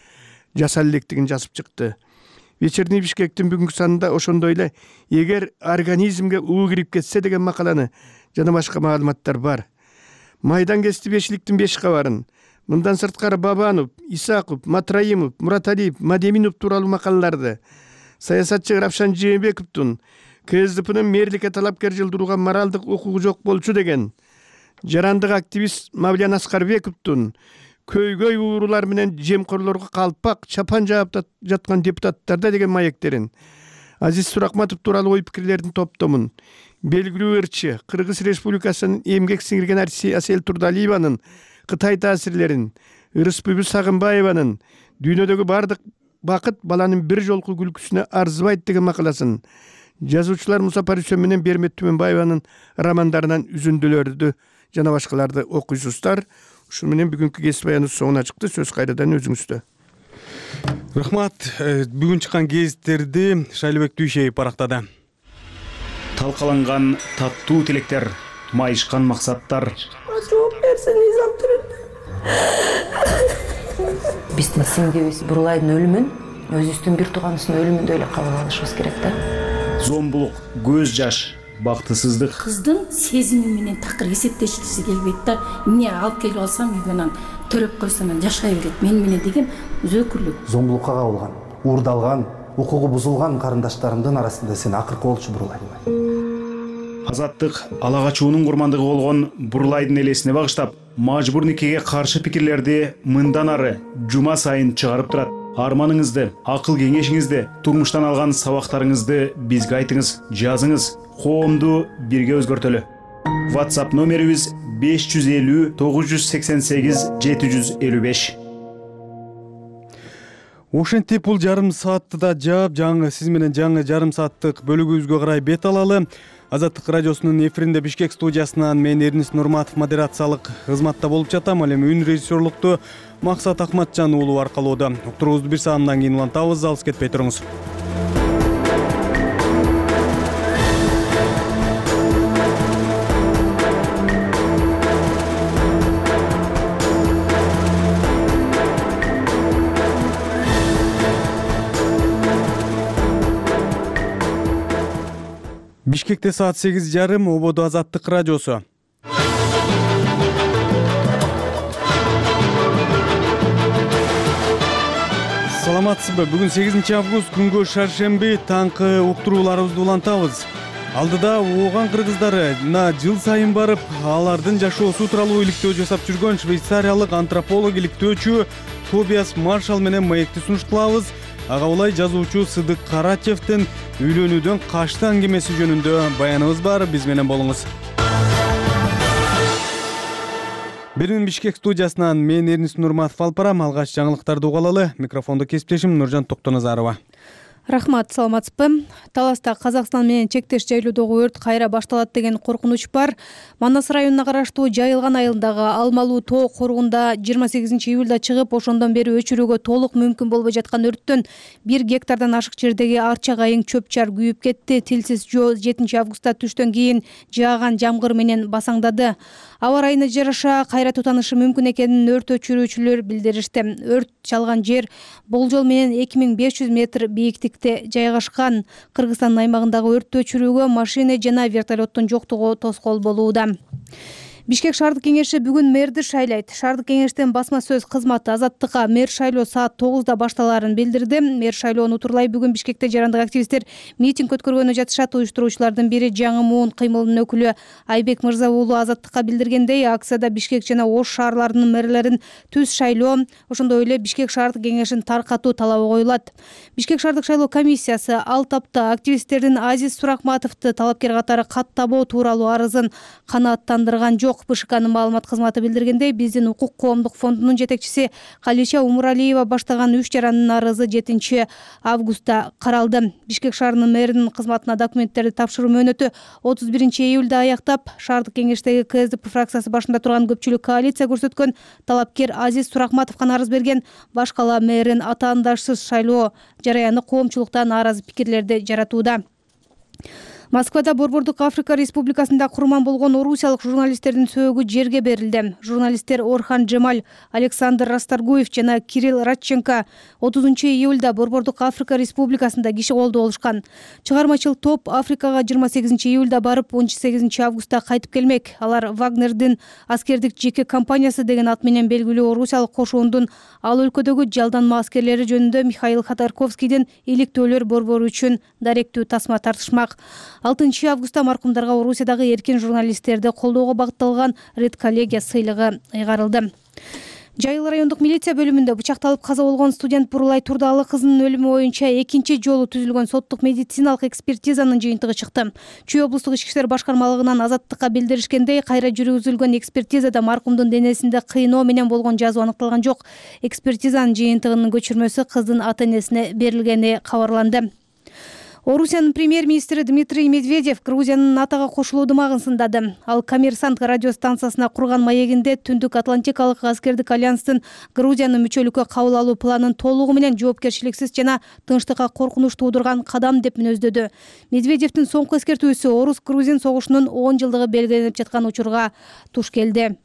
жасала электигин жазып чыкты. Вечерний Бишкектин бүгүнкү санында ошондой эле эгер организмге уу кирип кетсе деген макаланы жана башка маалыматтар бар. Майдан гезити бешиликтин беш кабарын, мындан сырткары Бабанов, Исаков, Матраимов, Мураталиев, Мадеминов тууралуу макалаларды, саясатчы Равшан Жээнбековдун КСДПнын мэрликке талапкер жылдырууга моралдык укугу жок болчу деген, жарандык активист Мавлян Аскарбековдун көйгөй уурулар менен жемкорлорго калпак чапан жаап жаткан депутаттарда деген маектерин, Азиз Суракматов тууралуу ой пикирлердин топтомун, белгилүү ырчы Кыргыз Республикасынын эмгек сиңирген артисти Асел Турдалиеванын Кытай таасирлерин, Ырысбүбү Сагынбаеванын дүйнөдөгү бардык бакыт баланын бир жолку күлкүсүнө арзыбайт деген макаласын, жазуучулар Муса Парисен менен Бермет Түмөнбаеванын романдарынан үзүндүлөрдү жана башкаларды окуйсуздар. Ушун менен бүгүнкү гезит баяныбыз соңуна чыкты. Сөз кайрадан өзүңүздө. Рахмат. Бүгүн чыккан гезиттерди Шайлыбек Дүйшеев барактады. Талкаланган таттуу тилектер, майышкан максаттар. Жооп берсин Низам Түрүн. Биздин сиңдибиз Бурлайдын өлүмүн өзүбүздүн бир тууганыбыздын өлүмүндөй эле кабыл алышыбыз керек да. Зомбулук, көз жаш, бактысыздык. Кыздын сезими менен такыр эсептешкиси келбейт да. Эмне алып келип алсам үйгө анан төрөп койсом анан жашай берет. Мен менен деген өзөкүрлүк. Зомбулукка кабылган, уурдалган, укугу бузулган карындаштарымдын арасында сен акыркы болчу Бурлай. Азаттык ала качуунун курмандыгы болгон Бурлайдын элесине багыштап, мажбур никеге каршы пикирлерди мындан ары жума сайын чыгарып турат. Арманыңызды, акыл кеңешиңизди, турмуштан алган сабактарыңызды бизге айтыңыз, жазыңыз. Коомду бирге өзгөртөлү. WhatsApp номерибиз беш жүз элүү тогуз жүз сексен сегиз жети жүз элүү беш. Ошентип бул жарым саатты да жаап, жаңы сиз менен жаңы жарым сааттык бөлүгүбүзгө карай бет алалы. Азаттык радиосунун эфиринде Бишкек студиясынан мен Эрнис Нурматов модерациялык кызматта болуп жатам. Ал эми үн режиссерлукту Максат Акматжан уулу аркалоодо. Уктуруубузду бир саамдан кийин улантабыз, алыс кетпей туруңуз. Бишкекте саат сегиз жарым, Ободо Азаттык радиосу. Саламатсызбы? Бүгүн сегизинчи август күнгө шаршемби, таңкы уктурууларыбызды улантабыз. Алдыда ооган кыргыздары жыл сайын барып, алардын жашоосу тууралуу иликтөө жасап жүргөн швейцариялык антрополог иликтөөчү Тобиас Маршал менен маекти сунушталабыз. Ага улай жазуучу Сыдык Карачевдин үйлөнүүдөн качты аңгемеси жөнүндө баяныбыз бар, биз менен болуңуз. Берүүн Бишкек студиясынан мен Эрнис Нурматов алып барам. Алгач жаңылыктарды угалалы. Микрофондо кесиптешим Нуржан Токтоназарова. Рахмат, саламатсызбы? Таласта Казакстан менен чектеш жайлоодогу өрт кайра башталат деген коркунуч бар. Манас районуна караштуу Жайылган айылындагы Алмалуу тоо коргунда жыйырма сегизинчи июлда чыгып, ошондон бери өчүрүүгө толук мүмкүн болбой жаткан өрттөн бир гектардан ашык жердеги арча кайың чөп-чар күйүп кетти. Тилсиз жоо жетинчи августта түштөн кийин жааган жамгыр менен басаңдады. Аба ырайына жараша кайра тутанышы мүмкүн экенин өрт өчүрүүчүлөр билдиришти. Өрт чалган жер болжол менен эки миң беш жүз метр бийиктикте жайгашкан. Кыргызстандын аймагындагы өрттү өчүрүүгө машина жана вертолеттун жоктугу тоскоол болууда. Бишкек шаардык кеңеши бүгүн мэрди шайлайт. Шаардык кеңештин басма сөз кызматы Азаттыкка мэр шайлоо саат тогузда башталаарын билдирди. Мэр шайлоону утурлай бүгүн Бишкекте жарандык активисттер митинг өткөргөнү жатышат. Уюштуруучулардын бири Жаңы Муун кыймылынын өкүлү Айбек Мырза уулу Азаттыкка билдиргендей, акцияда Бишкек жана Ош шаарларынын мэрлерин түз шайлоо, ошондой эле Бишкек шаардык кеңешин таркатуу талабы коюлат. Бишкек шаардык шайлоо комиссиясы ал тапта активисттердин Азиз Суракматовду талапкер катары каттабоо тууралуу арызын канааттандырган жок. БШКнын маалымат кызматы билдиргендей, биздин укук коомдук фондунун жетекчиси Калича Умуралиева баштаган үч жарандын арызы жетинчи августта каралды. Бишкек шаарынын мэринин кызматына документтерди тапшыруу мөөнөтү отуз биринчи июлда аяктап, шаардык кеңештеги КСДП фракциясы башында турган көпчүлүк коалиция көрсөткөн талапкер Азиз Суракматовго арыз берген. Баш кала мэрин атаандашсыз шайлоо жараяны коомчулукта нааразы пикирлерди жаратууда. Москвада Борбордук Африка Республикасында курман болгон орусиялык журналисттердин сөөгү жерге берилди. Журналисттер Орхан Джемаль, Александр Расторгуев жана Кирилл Радченко отузунчу июлда Борбордук Африка Республикасында киши колдо болушкан. Чыгармачыл топ Африкага жыйырма сегизинчи июлда барып, он сегизинчи августта кайтып келмек. Алар Вагнердин аскердик жеке компаниясы деген ат менен белгилүү орусиялык кошуундун ал өлкөдөгү жалданма аскерлери жөнүндө Михаил Ходорковскийдин иликтөөлөр борбору үчүн даректүү тасма тартышмак. алтынчы августта маркумдарга Орусиядагы эркин журналисттерди колдоого багытталган Ред коллегия сыйлыгы ыйгарылды. Жайыл райондук милиция бөлүмүндө бычакталып каза болгон студент Бурлай Турдалы кызынын өлүмү боюнча экинчи жолу түзүлгөн соттук медициналык экспертизанын жыйынтыгы чыкты. Чүй облустук ички иштер башкармалыгынан Азаттыкка билдиришкендей, кайра жүргүзүлгөн экспертизада маркумдун денесинде кыйноо менен болгон жазуу аныкталган жок. Экспертизанын жыйынтыгынын көчүрмөсү кыздын ата-энесине берилгени кабарланды. Орусиянын премьер-министри Дмитрий Медведев Грузиянын НАТОго кошулуу ымагын сындады. Ал Коммерсант радио станциясына курган маегинде Түндүк Атлантикалык аскердик альянстын Грузиянын мүчөлүккө кабыл алуу планын толугу менен жоопкерчиликсиз жана тынчтыкка коркунуч туудурган кадам деп мүнөздөдү. Медведевдин соңку эскертүүсү орус-грузин согушунун он жылдыгы белгиленип жаткан учурга туш келди.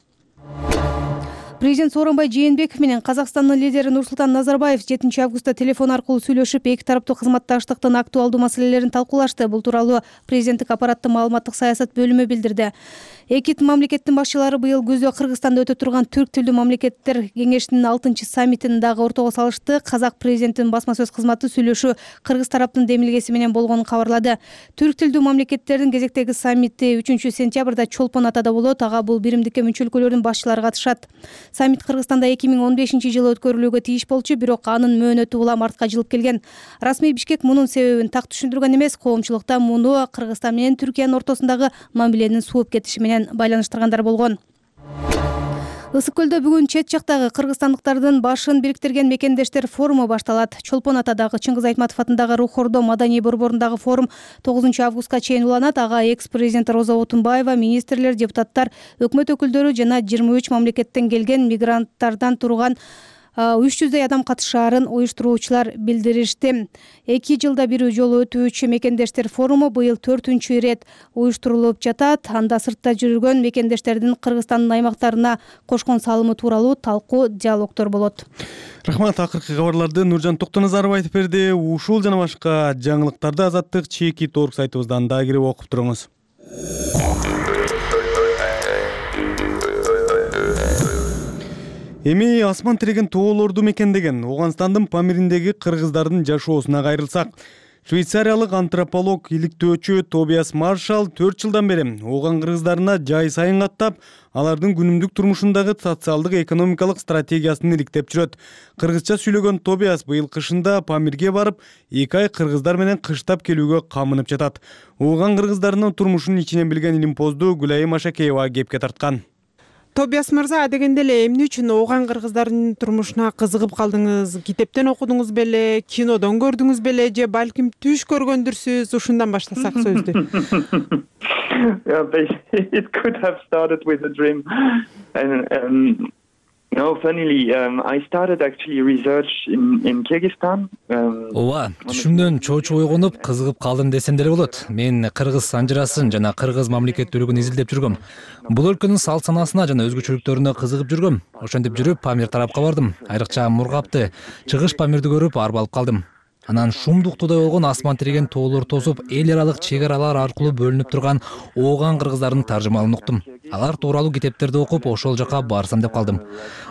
Президент Сооронбай Жээнбеков менен Казакстандын лидери Нурсултан Назарбаев жетинчи августта телефон аркылуу сүйлөшүп, эки тараптуу кызматташтыктын актуалдуу маселелерин талкуулашты. Бул тууралуу президенттик аппараттын маалыматтык саясат бөлүмү билдирди. Эки мамлекеттин башчылары быйыл күздө Кыргызстанда өтө турган түрк тилдүү мамлекеттер кеңешинин алтынчы саммитин дагы ортого салышты. Казак президентинин басма сөз кызматы сүйлөшүү кыргыз тараптын демилгеси менен болгонун кабарлады. Түрк тилдүү мамлекеттердин кезектеги саммити үчүнчү сентябрда Чолпон Атада болот. Ага бул биримдикке мүчө өлкөлөрдүн башчылары катышат. Саммит Кыргызстанда эки миң он бешинчи жылы өткөрүлүүгө тийиш болчу, бирок анын мөөнөтү улам артка жылып келген. Расмий Бишкек мунун себебин так түшүндүргөн эмес, коомчулукта муну Кыргызстан менен Түркиянын ортосундагы мамиленин сууп кетиши менен байланыштыргандар болгон. Ысык көлдө бүгүн чет жактагы кыргызстандыктардын башын бириктирген мекендештер форуму башталат. Чолпон Атадагы Чыңгыз Айтматов атындагы Рух Ордо маданий борборундагы форум тогузунчу августка чейин уланат. Ага экс-президент Роза Отунбаева, министрлер, депутаттар, өкмөт өкүлдөрү жана жыйырма үч мамлекеттен келген мигранттардан турган үч жүздөй адам катышаарын уюштуруучулар билдиришти. Эки жылда бир жолу өтүүчү мекендештер форуму быйыл төртүнчү ирет уюштурулуп жатат. Анда сыртта жүргөн мекендештердин Кыргызстандын аймактарына кошкон салымы тууралуу талкуу, диалогдор болот. Рахмат. Акыркы кабарларды Нуржан Токтоназаров айтып берди. Ушул жана башка жаңылыктарды Азаттык чеки торг сайтыбыздан да кирип окуп туруңуз. Эми асман тиреген тоолорду мекендеген Оганстандын Памириндеги кыргыздардын жашоосуна кайрылсак, швейцариялык антрополог, иликтөөчү Тобиас Маршалл төрт жылдан бери Оган кыргыздарына жай сайын каттап, алардын күнүмдүк турмушундагы социалдык экономикалык стратегиясын иликтеп жүрөт. Кыргызча сүйлөгөн Тобиас быйыл кышында Памирге барып, эки ай кыргыздар менен кыштап келүүгө камынып жатат. Оган кыргыздарынын турмушун ичинен билген Илимпоздуу Гүлайым Ашакеева кепке тарткан. Тобиас мырза, дегенде эле эмне үчүн Оган кыргыздарынын турмушуна кызыгып калдыңыз? Китептен окудуңуз беле, кинодон көрдүңүз беле, же балким түш көргөндүрсүз? Ушундан баштасак сөздү. It could have started with a dream. And um, no, funnily, um, I started actually research in, in Kyrgyzstan. Ооба, түшүмдөн чоочу ойгонуп, кызыгып калдым десем деле болот. Мен кыргыз санжырасын жана кыргыз мамлекеттүүлүгүн изилдеп жүргөм. Бул өлкөнүн салт санасына жана өзгөчөлүктөрүнө кызыгып жүргөм. Ошентип жүрүп Памир тарапка бардым. Айрыкча Мургапты, Чыгыш Памирди көрүп арба алып калдым. Анан шумдуктуудай болгон асман тиреген тоолор тосуп, эл аралык чек аралар аркылуу бөлүнүп турган Оган кыргыздардын таржымалын уктум. Алар тууралуу китептерди окуп, ошол жака барсам деп калдым.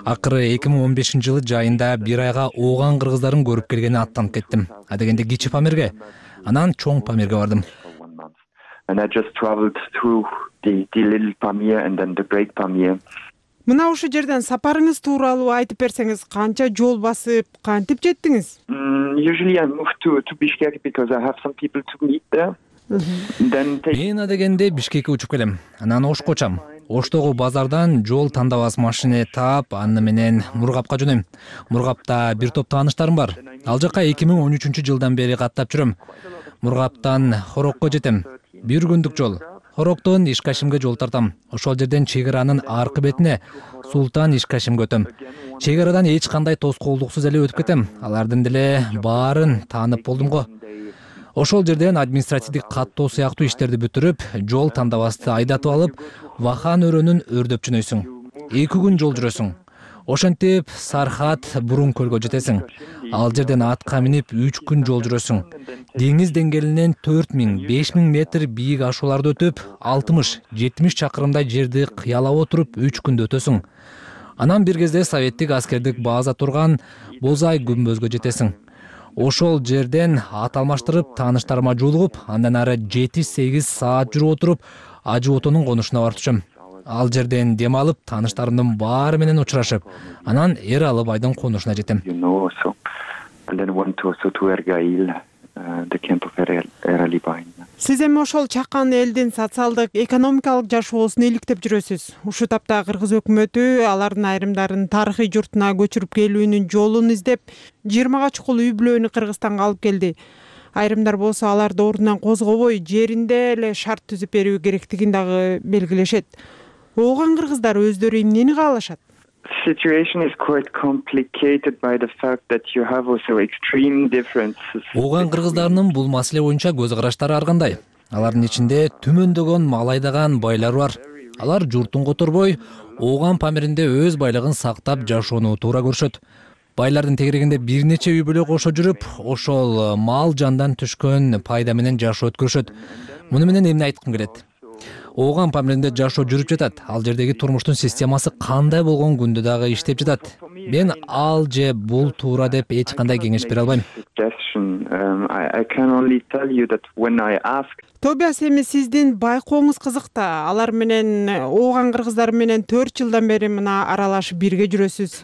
Акыры эки миң он бешинчи жылы жайында бир айга Оган кыргыздарын көрүп келгени аттанып кеттим. Адегенде кичи Памирге, анан чоң Памирге бардым. And I just traveled through the, the little Pamir and then the great Pamir. Мына ушул жерден сапарыңыз тууралуу айтып берсеңиз, канча жол басып, кантип жеттиңиз? Mm, usually I move to to Bishkek because I have some people to meet there. Then take... Мен адегенде Бишкекке учуп келем. Анан Ошко учам. Оштогу базардан жол тандабас машина таап, аны менен Мургапка жөнөйм. Мургапта бир топ тааныштарым бар. Ал жака эки миң он үчүнчү жылдан бери каттап жүрөм. Мургаптан Хорокко жетем. Бир күндүк жол. Хороктон Ишкашимге жол тартам. Ошол жерден чек аранын аркы бетине Султан Ишкашимге өтөм. Чек арадан эч кандай тоскоолдуксуз эле өтүп кетем. Алардын деле баарын таанып болдум го. Ошол жерден административдик каттоо сыяктуу иштерди бүтүрүп, жол тандабасты айдатып алып, Вахан өрөөнүн өрдөп жөнөйсүң. эки күн жол жүрөсүң. Ошентип Сархат Бурун көлгө жетесиң. Ал жерден атка минип үч күн жол жүрөсүң. Деңиз деңгээлинен төрт миң беш миң метр бийик ашууларды өтүп, алтымыш жетимиш чакырымдай жерди кыялап отуруп үч күндө өтөсүң. Анан бир кезде советтик аскердик база турган Бозай күмбөзгө жетесиң. Ошол жерден ат алмаштырып, тааныштарыма жолугуп, андан ары жети сегиз саат жүрүп отуруп, Ажы Отонун конушуна барып түшөм. Ал жерден дем алып, тааныштарымдын баары менен учурашып, анан Эр Алыбайдын конушуна жетем. Сиз эми ошол чакан элдин социалдык, экономикалык жашоосун иликтеп жүрөсүз. Ушул тапта кыргыз өкмөтү алардын айрымдарын тарыхый журтуна көчүрүп келүүнүн жолун издеп, жыйырмага чукул үй бүлөнү Кыргызстанга алып келди. Айрымдар болсо аларды ордунан козгобой, жеринде эле шарт түзүп берүү керектигин дагы белгилешет. Оган кыргыздар өздөрү эмнени каалашат? Situation is quite complicated by the fact that you have also extreme differences. Оган кыргыздарынын бул маселе боюнча көз караштары ар кандай. Алардын ичинде түмөндөгөн мал айдаган байлар бар. Алар журтун которбой, Ооган Памиринде өз байлыгын сактап жашоону туура көрүшөт. Байлардын тегерегинде бир нече үй бүлө кошо жүрүп, ошол мал жандан түшкөн пайда менен жашоо өткөрүшөт. Муну менен эмне айткым келет? Ооган Памиринде жашоо жүрүп жатат. Ал жердеги турмуштун системасы кандай болгон күндө дагы иштеп жатат. Мен ал же бул туура деп эч кандай кеңеш бере албайм. Тобиас, эми сиздин байкооңуз кызык да. Алар менен, Ооган кыргыздары менен төрт жылдан бери мына аралашып бирге жүрөсүз.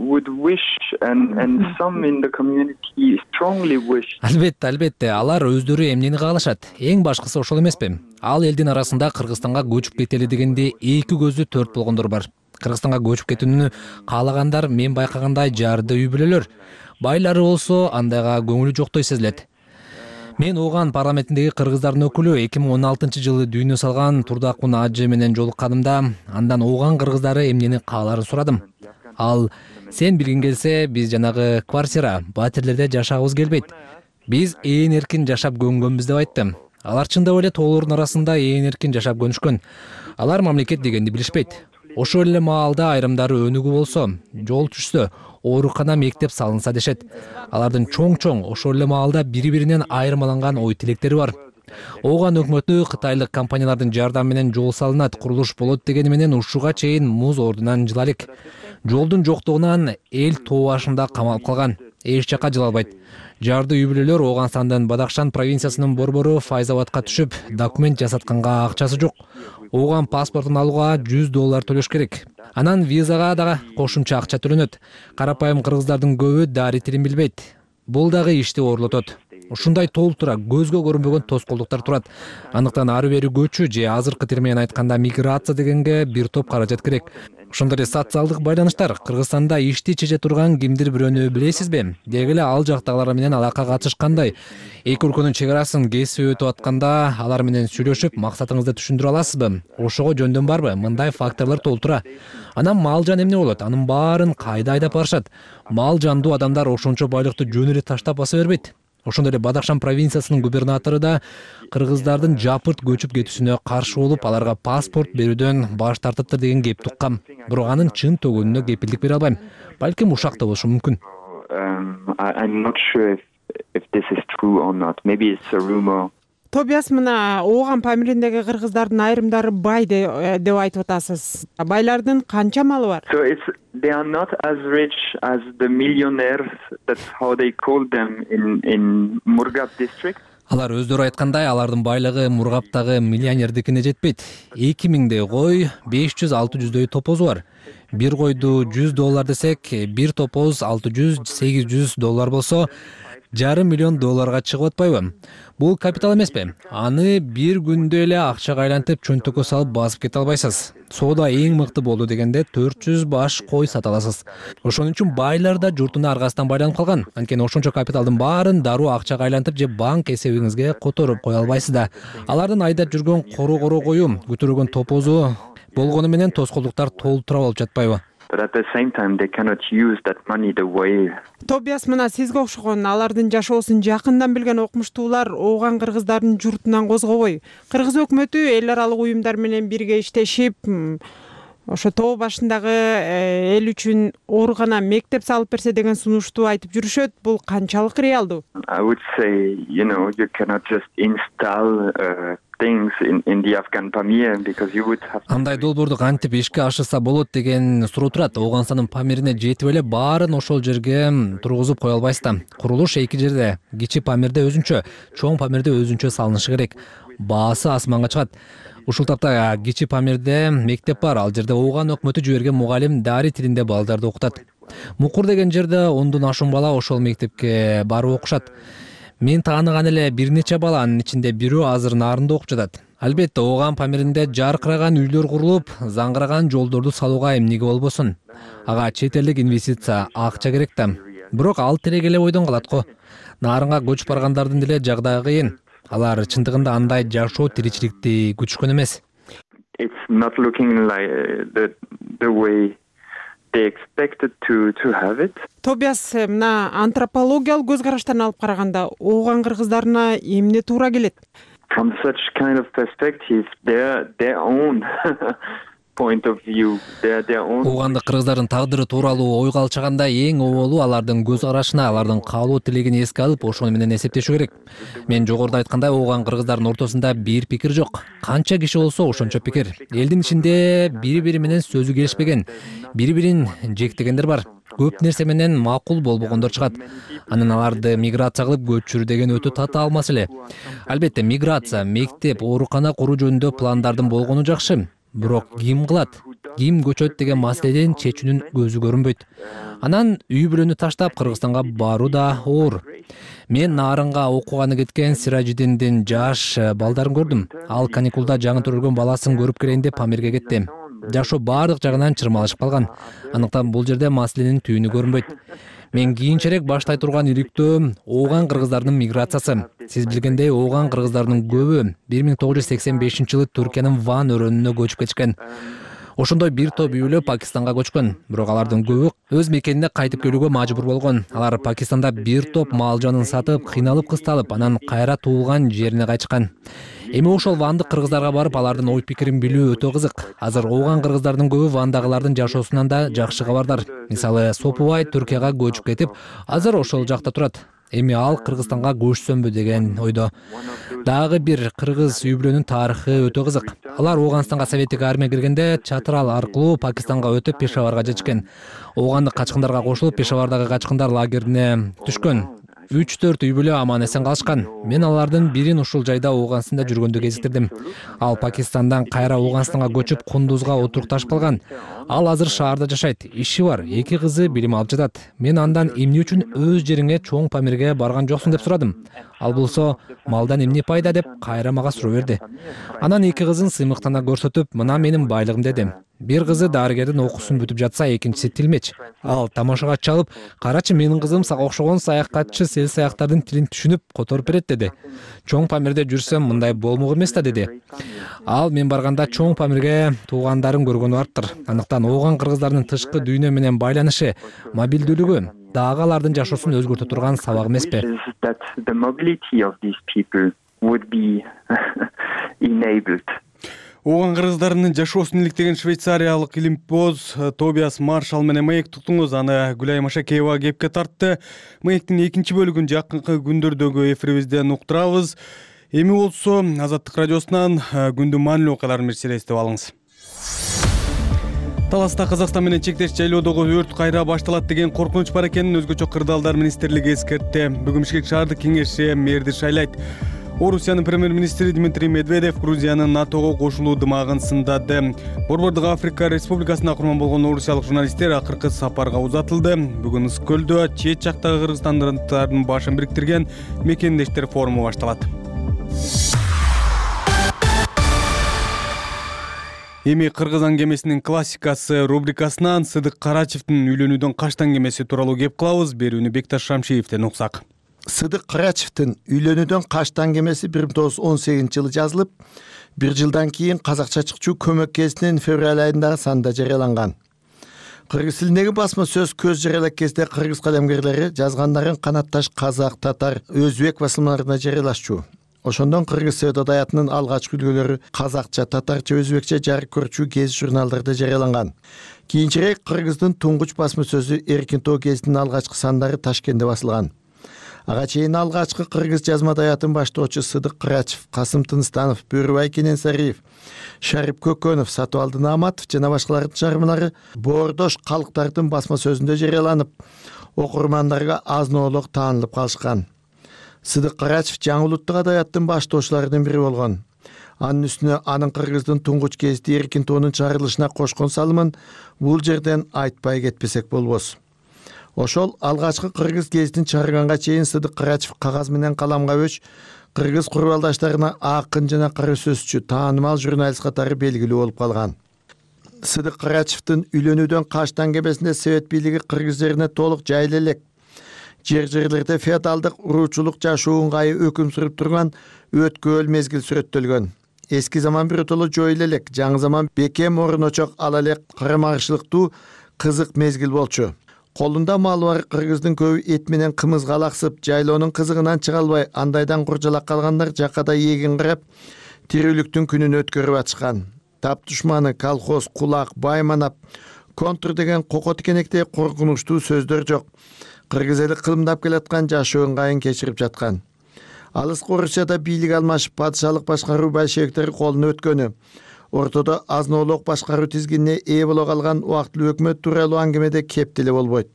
Would wish and and some in the community strongly wish. Албетте, албетте, алар өздөрү эмнени каалашат? Эң башкысы ошол эмеспи? Ал элдин арасында Кыргызстанга көчүп кетели дегенде эки көзү төрт болгондор бар. Кыргызстанга көчүп кетүүнү каалагандар мен байкагандай жарды үй бүлөлөр. Байлары болсо андайга көңүлү жоктой сезилет. Мен Ооган парламентиндеги кыргыздардын өкүлү эки миң он алтынчы жылы дүйнө салган Турдакун ажы менен жолукканымда, андан Ооган кыргыздары эмнени кааларын сурадым. Ал: сен билгиң келсе, биз жанагы квартира, батирлерде жашагыбыз келбейт. Биз ээн эркин жашап көнгөнбүз деп айтты. Алар чындап эле тоолордун арасында ээн эркин жашап көнүшкөн. Алар мамлекет дегенди билишпейт. Ошол эле маалда айрымдары өнүгүү болсо, жол түшсө, оорукана, мектеп салынса дешет. Алардын чоң-чоң ошол эле маалда бири-биринен айырмаланган ой тилектери бар. Ооган өкмөтү кытайлык компаниялардын жардамы менен жол салынат, курулуш болот дегени менен ушуга чейин муз ордунан жыла элек. Жолдун жоктугунан эл тоо башында камалып калган. Эч жака жыла албайт. Жарды үй бүлөлөр Ооганстандын Бадахшан провинциясынын борбору Файзабадка түшүп, документ жасатканга акчасы жок. Ооган паспортун алууга жүз доллар төлөш керек. Анан визага дагы кошумча акча төлөнөт. Карапайым кыргыздардын көбү дари тилин билбейт. Бул дагы ишти оорлотот. Ушундай толтура көзгө көрүнбөгөн тоскоолдуктар турат. Андыктан ары бери көчүү же азыркы тил менен айтканда миграция дегенге бир топ каражат керек. Ошондой эле социалдык байланыштар. Кыргызстанда ишти чече турган кимдир бирөөнү билесизби? Деги эле ал жактагылар менен алака катыш кандай? Эки өлкөнүн чек арасын кесип өтүп атканда алар менен сүйлөшүп, максатыңызды түшүндүрө аласызбы? Ошого жөндөн барбы? Мындай факторлор толтура. Анан мал жан эмне болот? Анын баарын кайда айдап барышат? Мал жандуу адамдар ошончо байлыкты жөн эле таштап баса бербейт. Ошондой эле Бадахшан провинциясынын губернатору да кыргыздардын жапырт көчүп кетүүсүнө каршы болуп, аларга паспорт берүүдөн баш тартыптыр деген кеп туккам. Бирок анын чын төгүнүнө кепилдик бере албайм. Балким ушак да болушу мүмкүн. Тобиас, мына Ооган Памириндеги кыргыздардын айрымдары бай деп айтып атасыз. Байлардын канча малы бар? So it's they are not as rich as the millionaires. That's how they call them in in Murgab district. Алар өздөрү айткандай, алардын байлыгы Мургаптагы миллионердикине жетпейт. эки миңдей кой, беш жүз алты жүздөй топозу бар. Бир койду жүз доллар десек, бир топоз алты жүз сегиз жүз доллар болсо, жарым миллион долларга чыгып атпайбы? Бул капитал эмеспи? Аны бир күндө эле акчага айлантып, чөнтөккө салып басып кете албайсыз. Соода эң мыкты болду дегенде төрт жүз баш кой сата аласыз. Ошон үчүн байлар да журтуна аргасынан байланып калган. Анткени ошончо капиталдын баарын дароо акчага айлантып же банк эсебиңизге которуп кое албайсыз да. Алардын айдап жүргөн коро-коро кою, көтөргөн топозу болгону менен тоскоолдуктар толтура болуп жатпайбы? But at the same time they cannot use that money the way. Тобиас, мына сизге окшогон алардын жашоосун жакындан билген окумуштуулар Ооган кыргыздардын журтунан козгобой, кыргыз өкмөтү эл аралык уюмдар менен бирге иштешип, ошо тоо башындагы эл үчүн оорукана, мектеп салып берсе деген сунушту айтып жүрүшөт. Бул канчалык реалдуу? I would say, you know, you cannot just install uh, things in in the Afghan Pamir because you would have. Андай долбоорду кантип ишке ашырса болот деген суроо турат. Ооганстандын Памирине жетип эле баарын ошол жерге тургузуп кое албайсыз да. Курулуш эки жерде, Кичи Памирде өзүнчө, Чоң Памирде өзүнчө салынышы керек. Баасы асманга чыгат. Ушул тапта Кичи Памирде мектеп бар. Ал жерде Ооган өкмөтү жиберген мугалим дари тилинде балдарды окутат. Мукур деген жерде ондон ашуун бала ошол мектепке барып окушат. Мен тааныган эле бир нече баланын ичинде бирөө азыр нарында окуп жатат. Албетте Ооган Памиринде жаркыраган үйлөр курулуп, заңгыраган жолдорду салууга эмнеге болбосун? Ага чет элдик инвестиция, акча керек да. Бирок ал тиреги эле ойдон калат го. Нарынга көчүп баргандардын деле жагдайы кыйын. Алар чындыгында андай жашоо тиричиликти күтүшкөн эмес. It's not looking like the the way they expected to to have it. Тобиас, мына антропологиялык көз караштан алып караганда Ооган кыргыздарына эмне туура келет? from such kind of perspective, their their own point of view, their their own. Уугандык кыргыздардын тагдыры тууралуу ойго алчаганда эң оболу алардын көз карашына, алардын каалоо тилегин эске алып, ошону менен эсептешүү керек. Мен жогоруда айткандай, ууган кыргыздардын ортосунда бир пикир жок. Канча киши болсо ошончо пикир. Элдин ичинде бири-бири менен сөзү келишпеген, бири-бирин жектегендер бар. Көп нерсе менен макул болбогондор чыгат. Анан аларды миграция кылып көчүрүү деген өтө татаал маселе. Албетте, миграция, мектеп, оорукана куруу жөнүндө пландардын болгону жакшы. Бирок ким кылат, ким көчөт деген маселеден чечүүнүн көзү көрүнбөйт. Анан үй бүлөнү таштап Кыргызстанга баруу да оор. Мен Нарынга окууганы кеткен Сиражидиндин жаш балдарын көрдүм. Ал каникулда жаңы төрөлгөн баласын көрүп келейин деп Памирге кетти. Жашоо баардык жагынан чырмалышып калган. Андыктан бул жерде маселенин түйүнү көрүнбөйт. Мен кийинчерээк баштай турган иликтөө ооган кыргыздардын миграциясы. Сиз билгендей, ооган кыргыздардын көбү бир миң тогуз жүз сексен бешинчи жылы Түркиянын Ван өрөөнүнө көчүп кетишкен. Ошондой бир топ үй бүлө Пакистанга көчкөн. Бирок алардын көбү өз мекенине кайтып келүүгө мажбур болгон. Алар Пакистанда бир топ мал жанын сатып, кыйналып кысталып, анан кайра туулган жерине кайтышкан. Эми ошол вандык кыргыздарга барып, алардын ой пикирин билүү өтө кызык. Азыр ооган кыргыздардын көбү вандагылардын жашоосунан да жакшы кабардар. Мисалы, Сопубай Түркияга көчүп кетип, азыр ошол жакта турат. Эми ал Кыргызстанга көчсөмбү деген ойдо. Дагы бир кыргыз үй бүлөнүн тарыхы өтө кызык. Алар Ооганстанга советтик армия киргенде Чатрал аркылуу Пакистанга өтүп Пешаварга жетишкен. Оогандык качкындарга кошулуп, Пешавардагы качкындар лагерине түшкөн. үч төрт үй бүлө аман эсен калышкан. Мен алардын бирин ушул жайда Ооганстанда жүргөндө кезиктирдим. Ал Пакистандан кайра Ооганстанга көчүп, Кундузга отурукташып калган. Ал азыр шаарда жашайт. Иши бар, эки кызы билим алып жатат. Мен андан эмне үчүн өз жериңе, чоң Памирге барган жоксуң деп сурадым. Ал болсо, малдан эмне пайда деп кайра мага суроо берди. Анан эки кызын сыймыктана көрсөтүп, мына менин байлыгым деди. Бир кызы дарыгердин окуусун бүтүп жатса, экинчиси тилмеч. Ал тамашага чалып, карачы, менин кызым сага окшогон саякатчы сел саяктардын тилин түшүнүп которуп берет деди. Чоң Памирде жүрсөм, мындай болмок эмес да деди. Ал мен барганда чоң Памирге туугандарын көргөнү барыптыр. Андыктан ооган кыргыздардын тышкы дүйнө менен байланышы, мобилдүүлүгү дагы алардын жашоосун өзгөртө турган сабак эмеспи? Ооган кыргыздарынын жашоосун иликтеген швейцариялык илимпоз Тобиас Маршал менен маек туктуңуз. Аны Гүлай Машакеева кепке тартты. Маектин экинчи бөлүгүн жакынкы күндөрдөгү эфирибизден уктурабыз. Эми болсо Азаттык радиосунан күндүн маанилүү окуяларын бир селестип алыңыз. Таласта Казакстан менен чектеш жайлоодогу өрт кайра башталат деген коркунуч бар экенин өзгөчө кырдаалдар министрлиги эскертти. Бүгүн Бишкек шаардык кеңеши мэрди шайлайт. Орусиянын премьер-министри Дмитрий Медведев Грузиянын НАТОго кошулуу дымагын сындады. Борбордук Африка Республикасына курман болгон орусиялык журналисттер акыркы сапарга узатылды. Бүгүн Ыскөлдө чет жактагы кыргызстандыктардын башын бириктирген мекендештер форуму башталат. Эми кыргыз аңгемесинин классикасы рубрикасынан Сыдык Карачевдин үйлөнүүдөн качтан кемеси тууралуу кеп кылабыз. Берүүнү Бекташ Шамшиевден уксак. Сыдык Карачевдин үйлөнүүдөн качтан кемеси бир миң тогуз жүз он сегизинчи жылы жазылып, бир жылдан кийин Казакча чыкчу көмөк кезинин февраль айындагы санында жарыяланган. Кыргыз тилиндеги басма сөз көз жарыялак кезде кыргыз калемгерлери жазгандарын канатташ казак, татар, өзбек басылмаларында жарыялашчу. Ошондон кыргыз сөз адаятынын алгачкы үлгүлөрү казакча, татарча, өзбекче жарык көрчү гезит журналдарда жарыяланган. Кийинчерээк кыргыздын туңгуч басма сөзү Эркин тоо гезитинин алгачкы сандары Ташкентте басылган. Ага чейин алгачкы кыргыз жазма адаятын баштоочу Сыдык Карачев, Касым Тынстанов, Бөрүбай Кененсариев, Шарип Көкөнов, Сатыбалды Нааматов жана башкалардын чыгармалары боордош калктардын басма сөзүндө жарыяланып, окурмандарга азын-оолук таанылып калышкан. Сыдык Карачев жаңы улуттук адаяттын баштоочуларынын бири болгон. Анын үстүнө анын кыргыздын туңгуч гезити Эркин тоонун чыгарылышына кошкон салымын бул жерден айтпай кетпесек болбос. Ошол алгачкы кыргыз гезитин чыгарганга чейин Сыдык Карачев кагаз менен каламга өч кыргыз курбалдаштарына акын жана кара сөзчү, таанымал журналист катары белгилүү болуп калган. Сыдык Карачевдин үйлөнүүдөн качтан кемесинде Совет бийлиги кыргыз жерине толук жайыла элек. Жер-жерлерде феодалдык уруучулук жашоо ыңгайы өкүм сүрүп турган өткөөл мезгил сүрөттөлгөн. Эски заман биротоло жоюла элек, жаңы заман бекем орун очок ала элек карамагышылыктуу кызык мезгил болчу. колунда малы бар кыргыздын көбү эт менен кымызга алаксып, жайлоонун кызыгынан чыга албай, андайдан куржалак калгандар жакада эгин карап, тирүүлүктүн күнүн өткөрүп атышкан. Тап душманы, колхоз, кулак, байманап, контур деген кoko тикенектей коркунучтуу сөздөр жок. Кыргыз эли кылымдап келаткан жашоо ыңгайын кечирип жаткан. Алыскы Орусияда бийлик алмашып, падышалык башкаруу большевиктер колуна өткөнү, ортодо азноолук башкаруу тизгинине ээ боло калган убактылуу өкмөт тууралуу аңгемеде кеп деле болбойт.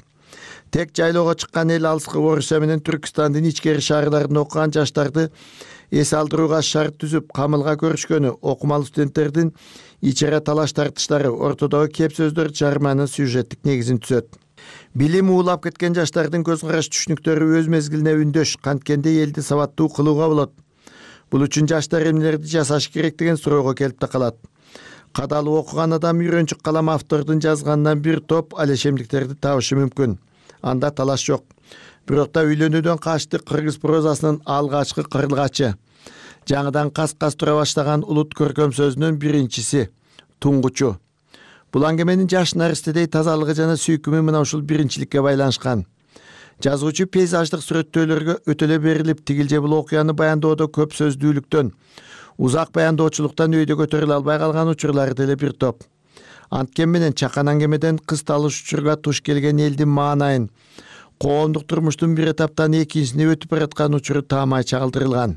Тек жайлоого чыккан эл алыскы Орусия менен Түркстандын ичкери шаарларында окуган жаштарды эс алдырууга шарт түзүп, камылга көрүшкөнү, окумалуу студенттердин ичара талаш тартыштары, ортодогу кеп сөздөр жарыманын сюжеттик негизин түзөт. Билим уулап кеткен жаштардын көз караш түшүнүктөрү өз мезгилине үндөш, канткенде элди сабаттуу кылууга болот. Бул үчүн жаштар эмнелерди жасаш керек деген суроого келип да калат. Кадалып окуган адам үйрөнчүк калам автордун жазганынан бир топ алешемдиктерди табышы мүмкүн. Анда талаш жок. Бирок да үйлөнүүдөн качты кыргыз прозасынын алгачкы кырылгачы. Жаңыдан кас-кас тура баштаган улут көркөм сөзүнүн биринчиси, туңгучу. Бул аңгеменин жаш наристедей тазалыгы жана сүйкүмү мына ушул биринчиликке байланышкан. Жазуучу пейзаждык сүрөттөөлөргө өтөлө берилип, тигилже бул окуяны баяндоодо көп сөздүүлүктөн, узак баяндоочулуктан өйдө көтөрүлө албай калган учурлары деле бир топ. Анткен менен чакан аңгемеден кыз талыш учурга туш келген элдин маанайын, коомдук турмуштун бир этаптан экинчисине өтүп бараткан учуру таамай чагылдырылган.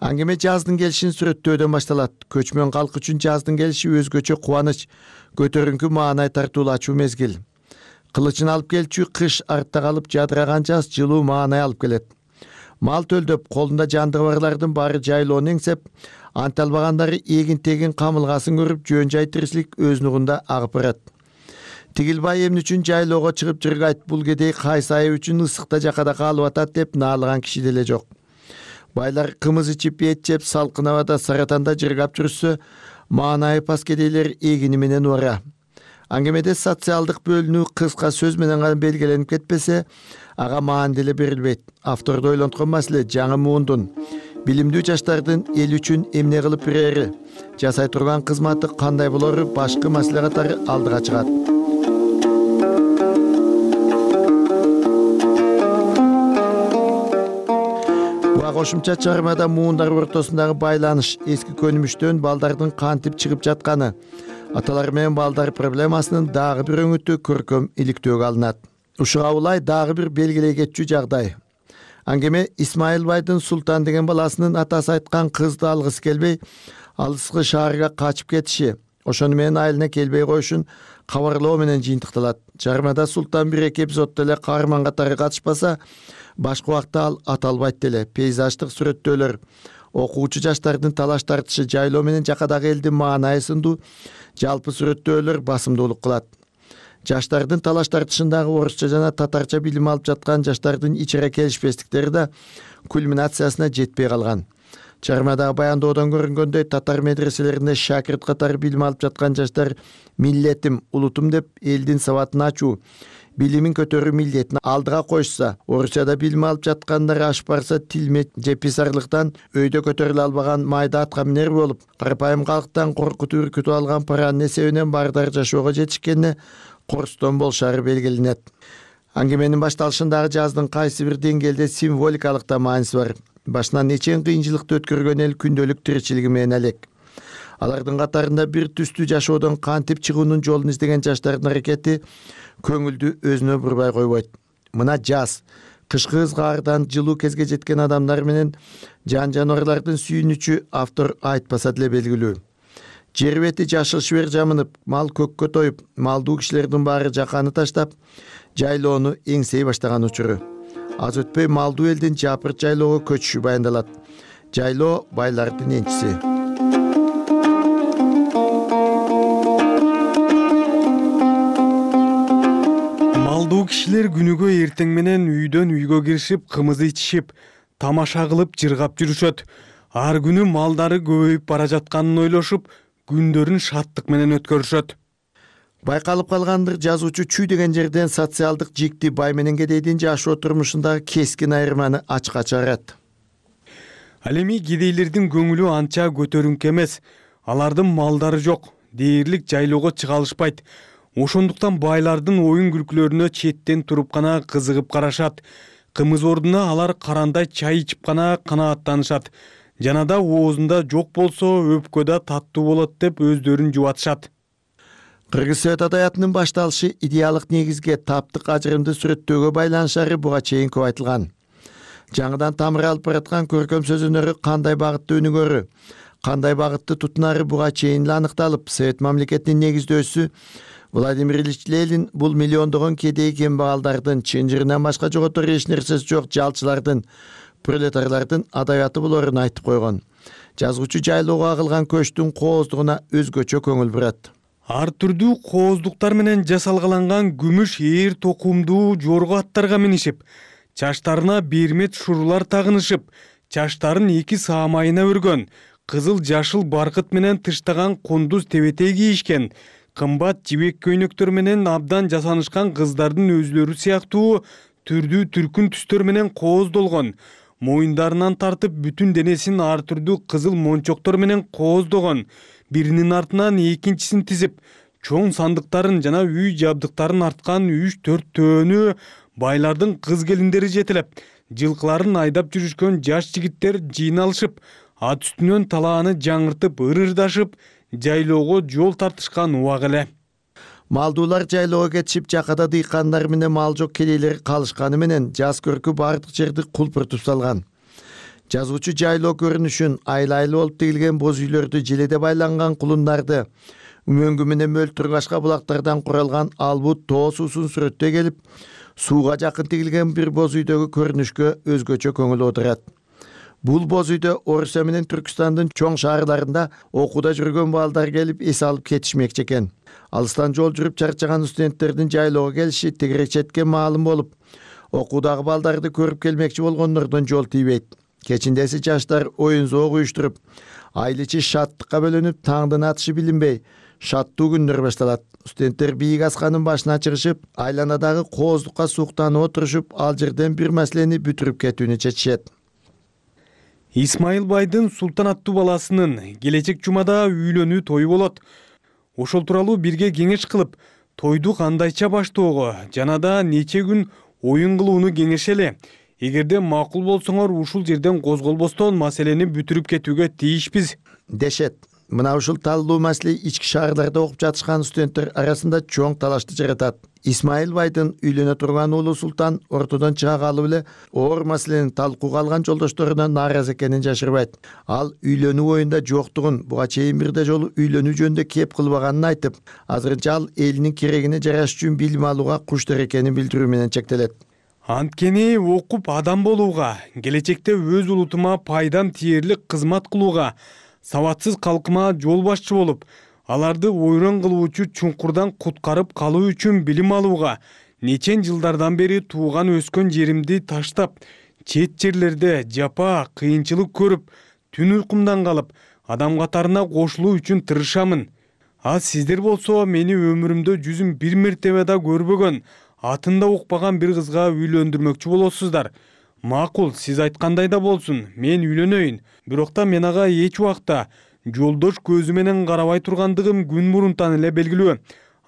Аңгеме жаздын келишин сүрөттөөдөн башталат. Көчмөн калк үчүн жаздын келиши өзгөчө кубаныч, көтөрүңкү маанай тартуулачу мезгил. Кылычын алып келчү кыш артта калып, жадыраган жаз жылуу маанай алып келет. Мал төлдөп, колунда жандыгы барлардын баары жайлоону эңсеп, анта албагандары эгин-тегин камылгасын көрүп, жөн жай тиричилик өз нугунда агып барат. Тигилбай эмне үчүн жайлоого чыгып жыргайт, бул кедей кайсы айы үчүн ысыкта жакада калып атат деп наалыган киши деле жок. Байлар кымыз ичип, эт жеп, салкын абада саратанда жыргап жүрүшсө, маанайы пас кедейлер эгини менен убара. Аңгемеде социалдык бөлүнүү кыска сөз менен гана белгиленип кетпесе, ага маан деле берилбейт. Авторду ойлонткон маселе жаңы муундун, билимдүү жаштардын эл үчүн эмне кылып берери, жасай турган кызматы кандай болору башкы маселе катары алдыга чыгат. Кошумча чыгармада муундар ортосундагы байланыш, эски көнүмүштөн балдардын кантип чыгып жатканы, аталар менен балдар проблемасынын дагы бир өңүтү көркөм иликтөөгө алынат. Ушуга улай дагы бир белгилей кетчү жагдай. Аңгеме Исмайыл байдын Султан деген баласынын атасы айткан кызды алгысы келбей, алыскы шаарга качып кетиши, ошону менен айылына келбей коюшун кабарлоо менен жыйынтыкталат. Жармада Султан бир эки эпизоддо эле каарман катары катышпаса, башка убакта ал аталбайт деле. Пейзаждык сүрөттөөлөр, окуучу жаштардын талаш тартышы, жайлоо менен жакадагы элдин маанайы сындуу жалпы сүрөттөөлөр басымдуулук кылат. Жаштардын талаш тартышындагы орусча жана татарча билим алып жаткан жаштардын ичара келишпестиктери да кульминациясына жетпей калган. Чыгармадагы баяндоодон көрүнгөндөй, татар медреселеринде шакирт катары билим алып жаткан жаштар миллетим, улутум деп элдин сабатын ачуу, билимин көтөрүү милдетин алдыга коюшса, Орусияда билим алып жаткандар ашып барса, тилме же писарлыктан өйдө көтөрүлө албаган майда атка минер болуп, карапайым калктан коркутуп үркүтүп алган паранын эсебинен баардар жашоого жетишкенине корстон болушары белгиленет. Аңгеменин башталышындагы жаздын кайсы бир деңгээлде символикалык да мааниси бар. Башынан нечен кыйынчылыкты өткөргөн эл күндөлүк тиричилиги менен алек. Алардын катарында бир түстүү жашоодон кантип чыгуунун жолун издеген жаштардын аракети көңүлдү өзүнө бурбай койбойт. Мына жаз, кышкы ызгаардан жылуу кезге жеткен адамдар менен жан жаныбарлардын сүйүнүчү автор айтпаса деле белгилүү. Жер бети жашыл шибер жамынып, мал көккө тоюп, малдуу кишилердин баары жаканы таштап, жайлоону эңсей баштаган учуру. Аз өтпөй малдуу элдин жапырт жайлоого көчүшү баяндалат. Жайлоо байлардын энчиси. Малдуу кишилер күнүгө эртең менен үйдөн үйгө киришип, кымыз ичишип, тамаша кылып жыргап жүрүшөт. Ар күнү малдары көбөйүп бара жатканын ойлошуп, күндөрүн шаттык менен өткөрүшөт. Байкалып калгандыр, жазуучу чүй деген жерден социалдык жикти бай менен кедейдин жашоо турмушундагы кескин айырманы ачка чыгарат. Ал эми кедейлердин көңүлү анча көтөрүңкү эмес. Алардын малдары жок, дээрлик жайлоого чыга алышпайт. Ошондуктан байлардын оюн күлкүлөрүнө четтен туруп гана кызыгып карашат. Кымыз ордуна алар карандай чай ичип гана канааттанышат. Жана да оозунда жок болсо өпкөдө таттуу болот деп өздөрүн жубатышат. Кыргыз Совет адаятынын башталышы идеалдык негизге таптык ажырымды сүрөттөөгө байланышары буга чейин көп айтылган. Жаңыдан тамыр алып бараткан көркөм сөз өнөрү кандай багытты өнүгөрү, кандай багытты тутунары буга чейин эле аныкталып, Совет мамлекетинин негиздөөчүсү Владимир Ильич Ленин бул миллиондогон кедей кембагалдардын, чынжырынан башка жоготор эч нерсеси жок жалчылардын, пролетарлардын адабияты болорун айтып койгон. Жазгычы жайлоого агылган көчтүн кооздугуна өзгөчө көңүл бурат. Ар түрдүү кооздуктар менен жасалгаланган күмүш ээр токумдуу жорго аттарга минишип, чачтарына бермет шурулар тагынышып, чачтарын эки саамайына өргөн, кызыл жашыл баркыт менен тыштаган кундуз тебетей кийишкен, кымбат жибек көйнөктөр менен абдан жасанышкан кыздардын өзлөрү сыяктуу түрдүү түркүн түстөр менен кооздолгон, моюндарынан тартып бүтүн денесин ар түрдүү кызыл мончоктор менен кооздогон, биринин артынан экинчисин тизип, чоң сандыктарын жана үй жабдыктарын арткан үч төрт төөнү байлардын кыз келиндери жетелеп, жылкыларын айдап жүрүшкөн жаш жигиттер жыйналышып, ат үстүнөн талааны жаңыртып ырырдашып, жайлоого жол тартышкан убак эле. Малдуулар жайлоого кетишип, жакада дыйкандар менен мал жок кедейлер калышканы менен жаз көркү бардык жерди кулпуртуп салган. Жазгычы жайлоо көрүнүшүн, айлайлы болуп тигилген боз үйлөрдү, желеде байланган кулундарды, мөңгү менен мөлтүргашка булактардан куралган албут тоо суусун сүрөттөй келип, сууга жакын тигилген бир боз үйдөгү көрүнүшкө өзгөчө көңүл отурат. Бул боз үйдө Орусия менен Түркстандын чоң шаарларында окууда жүргөн балдар келип эс алып кетишмекчи экен. Алыстан жол жүрүп чарчаган студенттердин жайлоого келиши тегерек четке маалым болуп, окуудагы балдарды көрүп келмекчи болгондордон жол тийбейт. Кечиндеси жаштар оюн зоог уюштуруп, айыл ичи шаттыкка бөлөнүп, таңдын атышы билинбей, шаттуу күндөр башталат. Студенттер бийик асканын башына чыгышып, айланадагы кооздукка суктанып отурушуп, ал жерден бир маселени бүтүрүп кетүүнү чечишет. Исмайыл байдын Султан аттуу баласынын келечек жумада үйлөнүү тою болот. Ошол тууралуу бирге кеңеш кылып, тойду кандайча баштоого жана да нече күн оюн кылууну кеңешели. Эгерде макул болсоңор, ушул жерден козголбостон маселени бүтүрүп кетүүгө тийишпиз дешет. Мына ушул талдуу маселе ички шаарларда окуп жатышкан студенттер арасында чоң талашты жаратат. Исмайыл байдын үйлөнө турган уулу Султан ортодон чыга калып эле оор маселени талкууга алган жолдошторуна нааразы экенин жашырбайт. Ал үйлөнүү оюнда жоктугун, буга чейин бирде жолу үйлөнүү жөнүндө кеп кылбаганын айтып, азырынча ал элинин керегине жараш үчүн билим алууга куштар экенин билдирүү менен чектелет. Анткени окуп адам болууга, келечекте өз улутума пайдам тиерлик кызмат кылууга, сабатсыз калкыма жол башчы болуп, аларды ойрон кылуучу чуңкурдан куткарып калуу үчүн билим алууга, нечен жылдардан бери тууган өскөн жеримди таштап, чет жерлерде жапа, кыйынчылык көрүп, түн уйкумдан калып, адам катарына кошулуу үчүн тырышамын. А сиздер болсо мени өмүрүмдө жүзүм бир мертебе да көрбөгөн, атында укпаган бир кызга үйлөндүрмөкчү болосуздар. Макул, сиз айткандай да болсун, мен үйлөнөйүн. Бирок да мен ага эч убакта жолдош көзү менен карабай тургандыгым күн мурунтан эле белгилүү.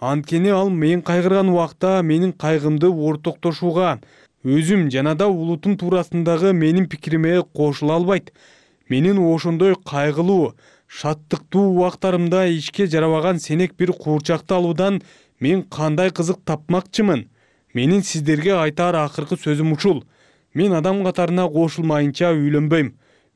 Анткени ал мен кайгырган убакта менин кайгымды ортоктошууга, өзүм жана да улутум туурасындагы менин пикириме кошула албайт. Менин ошондой кайгылуу, шаттыктуу убактарымда ишке жарабаган сенек бир куурчакты алуудан мен кандай кызык тапмакчымын. Менин сиздерге айтар акыркы сөзүм ушул. Мен адам катарына кошулмайынча үйлөнбөйм.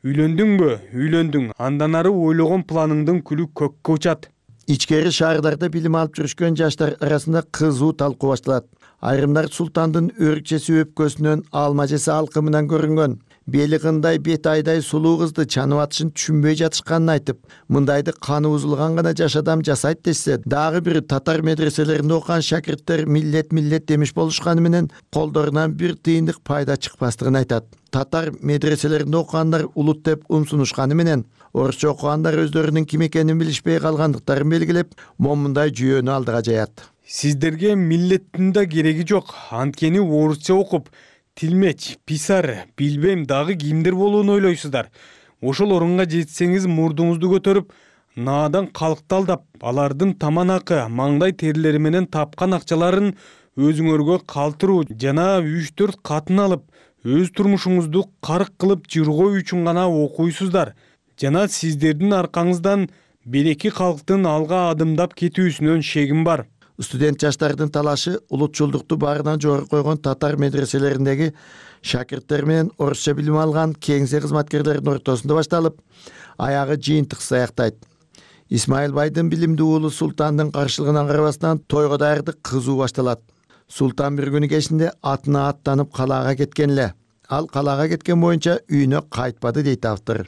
Үйлөндүңбү? Үйлөндүң. Андан ары ойлогон планыңдын күлү көккө учат. Ичкери шаарларда билим алып жүрүшкөн жаштар арасында кызуу талкуу башталат. Айрымдар Султандын өрүкчеси өпкөсүнөн алма жеси алкымынан көрүнгөн, бели кындай бет айдай сулуу кызды чанып атышын түшүнбөй жатышканын айтып, мындайды каны бузулган гана жаш адам жасайт десе, дагы бир татар медреселеринде окуган шакирттер миллет миллет демиш болушканы менен колдорунан бир тыйындык пайда чыкпастыгын айтат. Татар медреселеринде окугандар улут деп умсунушканы менен, орусча окугандар өздөрүнүн ким экенин билишпей калгандыктарын белгилеп, момундай жүйөнү алдыга жаят. Сиздерге миллеттин да кереги жок. Анткени орусча окуп, тилмеч, писар, билбейм дагы кимдер болууну ойлойсуздар. Ошол орунга жетсеңиз мурдуңузду көтөрүп, наадан калкты алдап, алардын таман акы, маңдай терилери менен тапкан акчаларын өзүңөргө калтыруу жана үч төрт катын алып, өз турмушуңузду карк кылып жыргоо үчүн гана окуйсуздар жана сиздердин аркаңыздан береки калктын алга адымдап кетүүсүнөн шегим бар. Студент жаштардын талашы улутчулдукту баарынан жогору койгон татар медреселериндеги шакирттер менен орусча билим алган кеңсе кызматкерлеринин ортосунда башталып, аягы жыйынтыксыз аяктайт. Исмайыл байдын билимдүү уулу Султандын каршылыгына карабастан тойго даярдык кызуу башталат. Султан бир күнү кечинде атына аттанып калаага кеткен эле. Ал калаага кеткен боюнча үйүнө кайтпады дейт автор.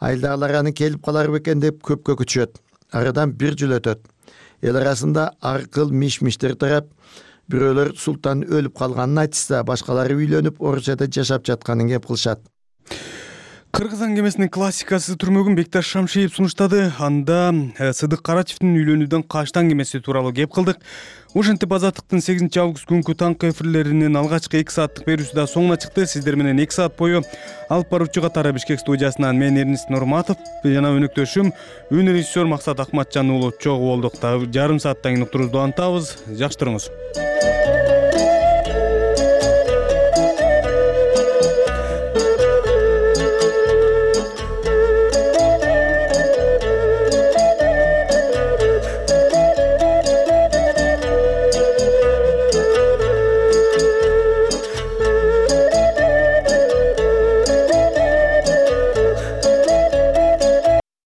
Айылдагылар аны келип калар бекен деп көпкө күтүшөт. Арадан бир жыл өтөт. Эл арасында ар кыл миш-миштер тарап, бирөөлөр Султан өлүп калганын айтышса, башкалары үйлөнүп, орусчада жашап жатканын кеп кылышат. Кыргыз аңгемесинин классикасы түрмөгүн Бекташ Шамшиев сунуштады. Анда Сыдык Карачевдин үйлөнүүдөн качты аңгемеси тууралуу кеп кылдык. Ушинтип Азаттыктын сегизинчи август күнкү таңкы эфирлеринин алгачкы эки сааттык берүүсү да соңуна чыкты. Сиздер менен эки саат бою алып баруучу катары Бишкек студиясынан мен Эрнис Нурматов жана өнөктөшүм үн режиссер Максат Акматжан уулу чогуу болдук. Жарым сааттан кийин уктуруубузду антабыз. Жакшы туруңуз.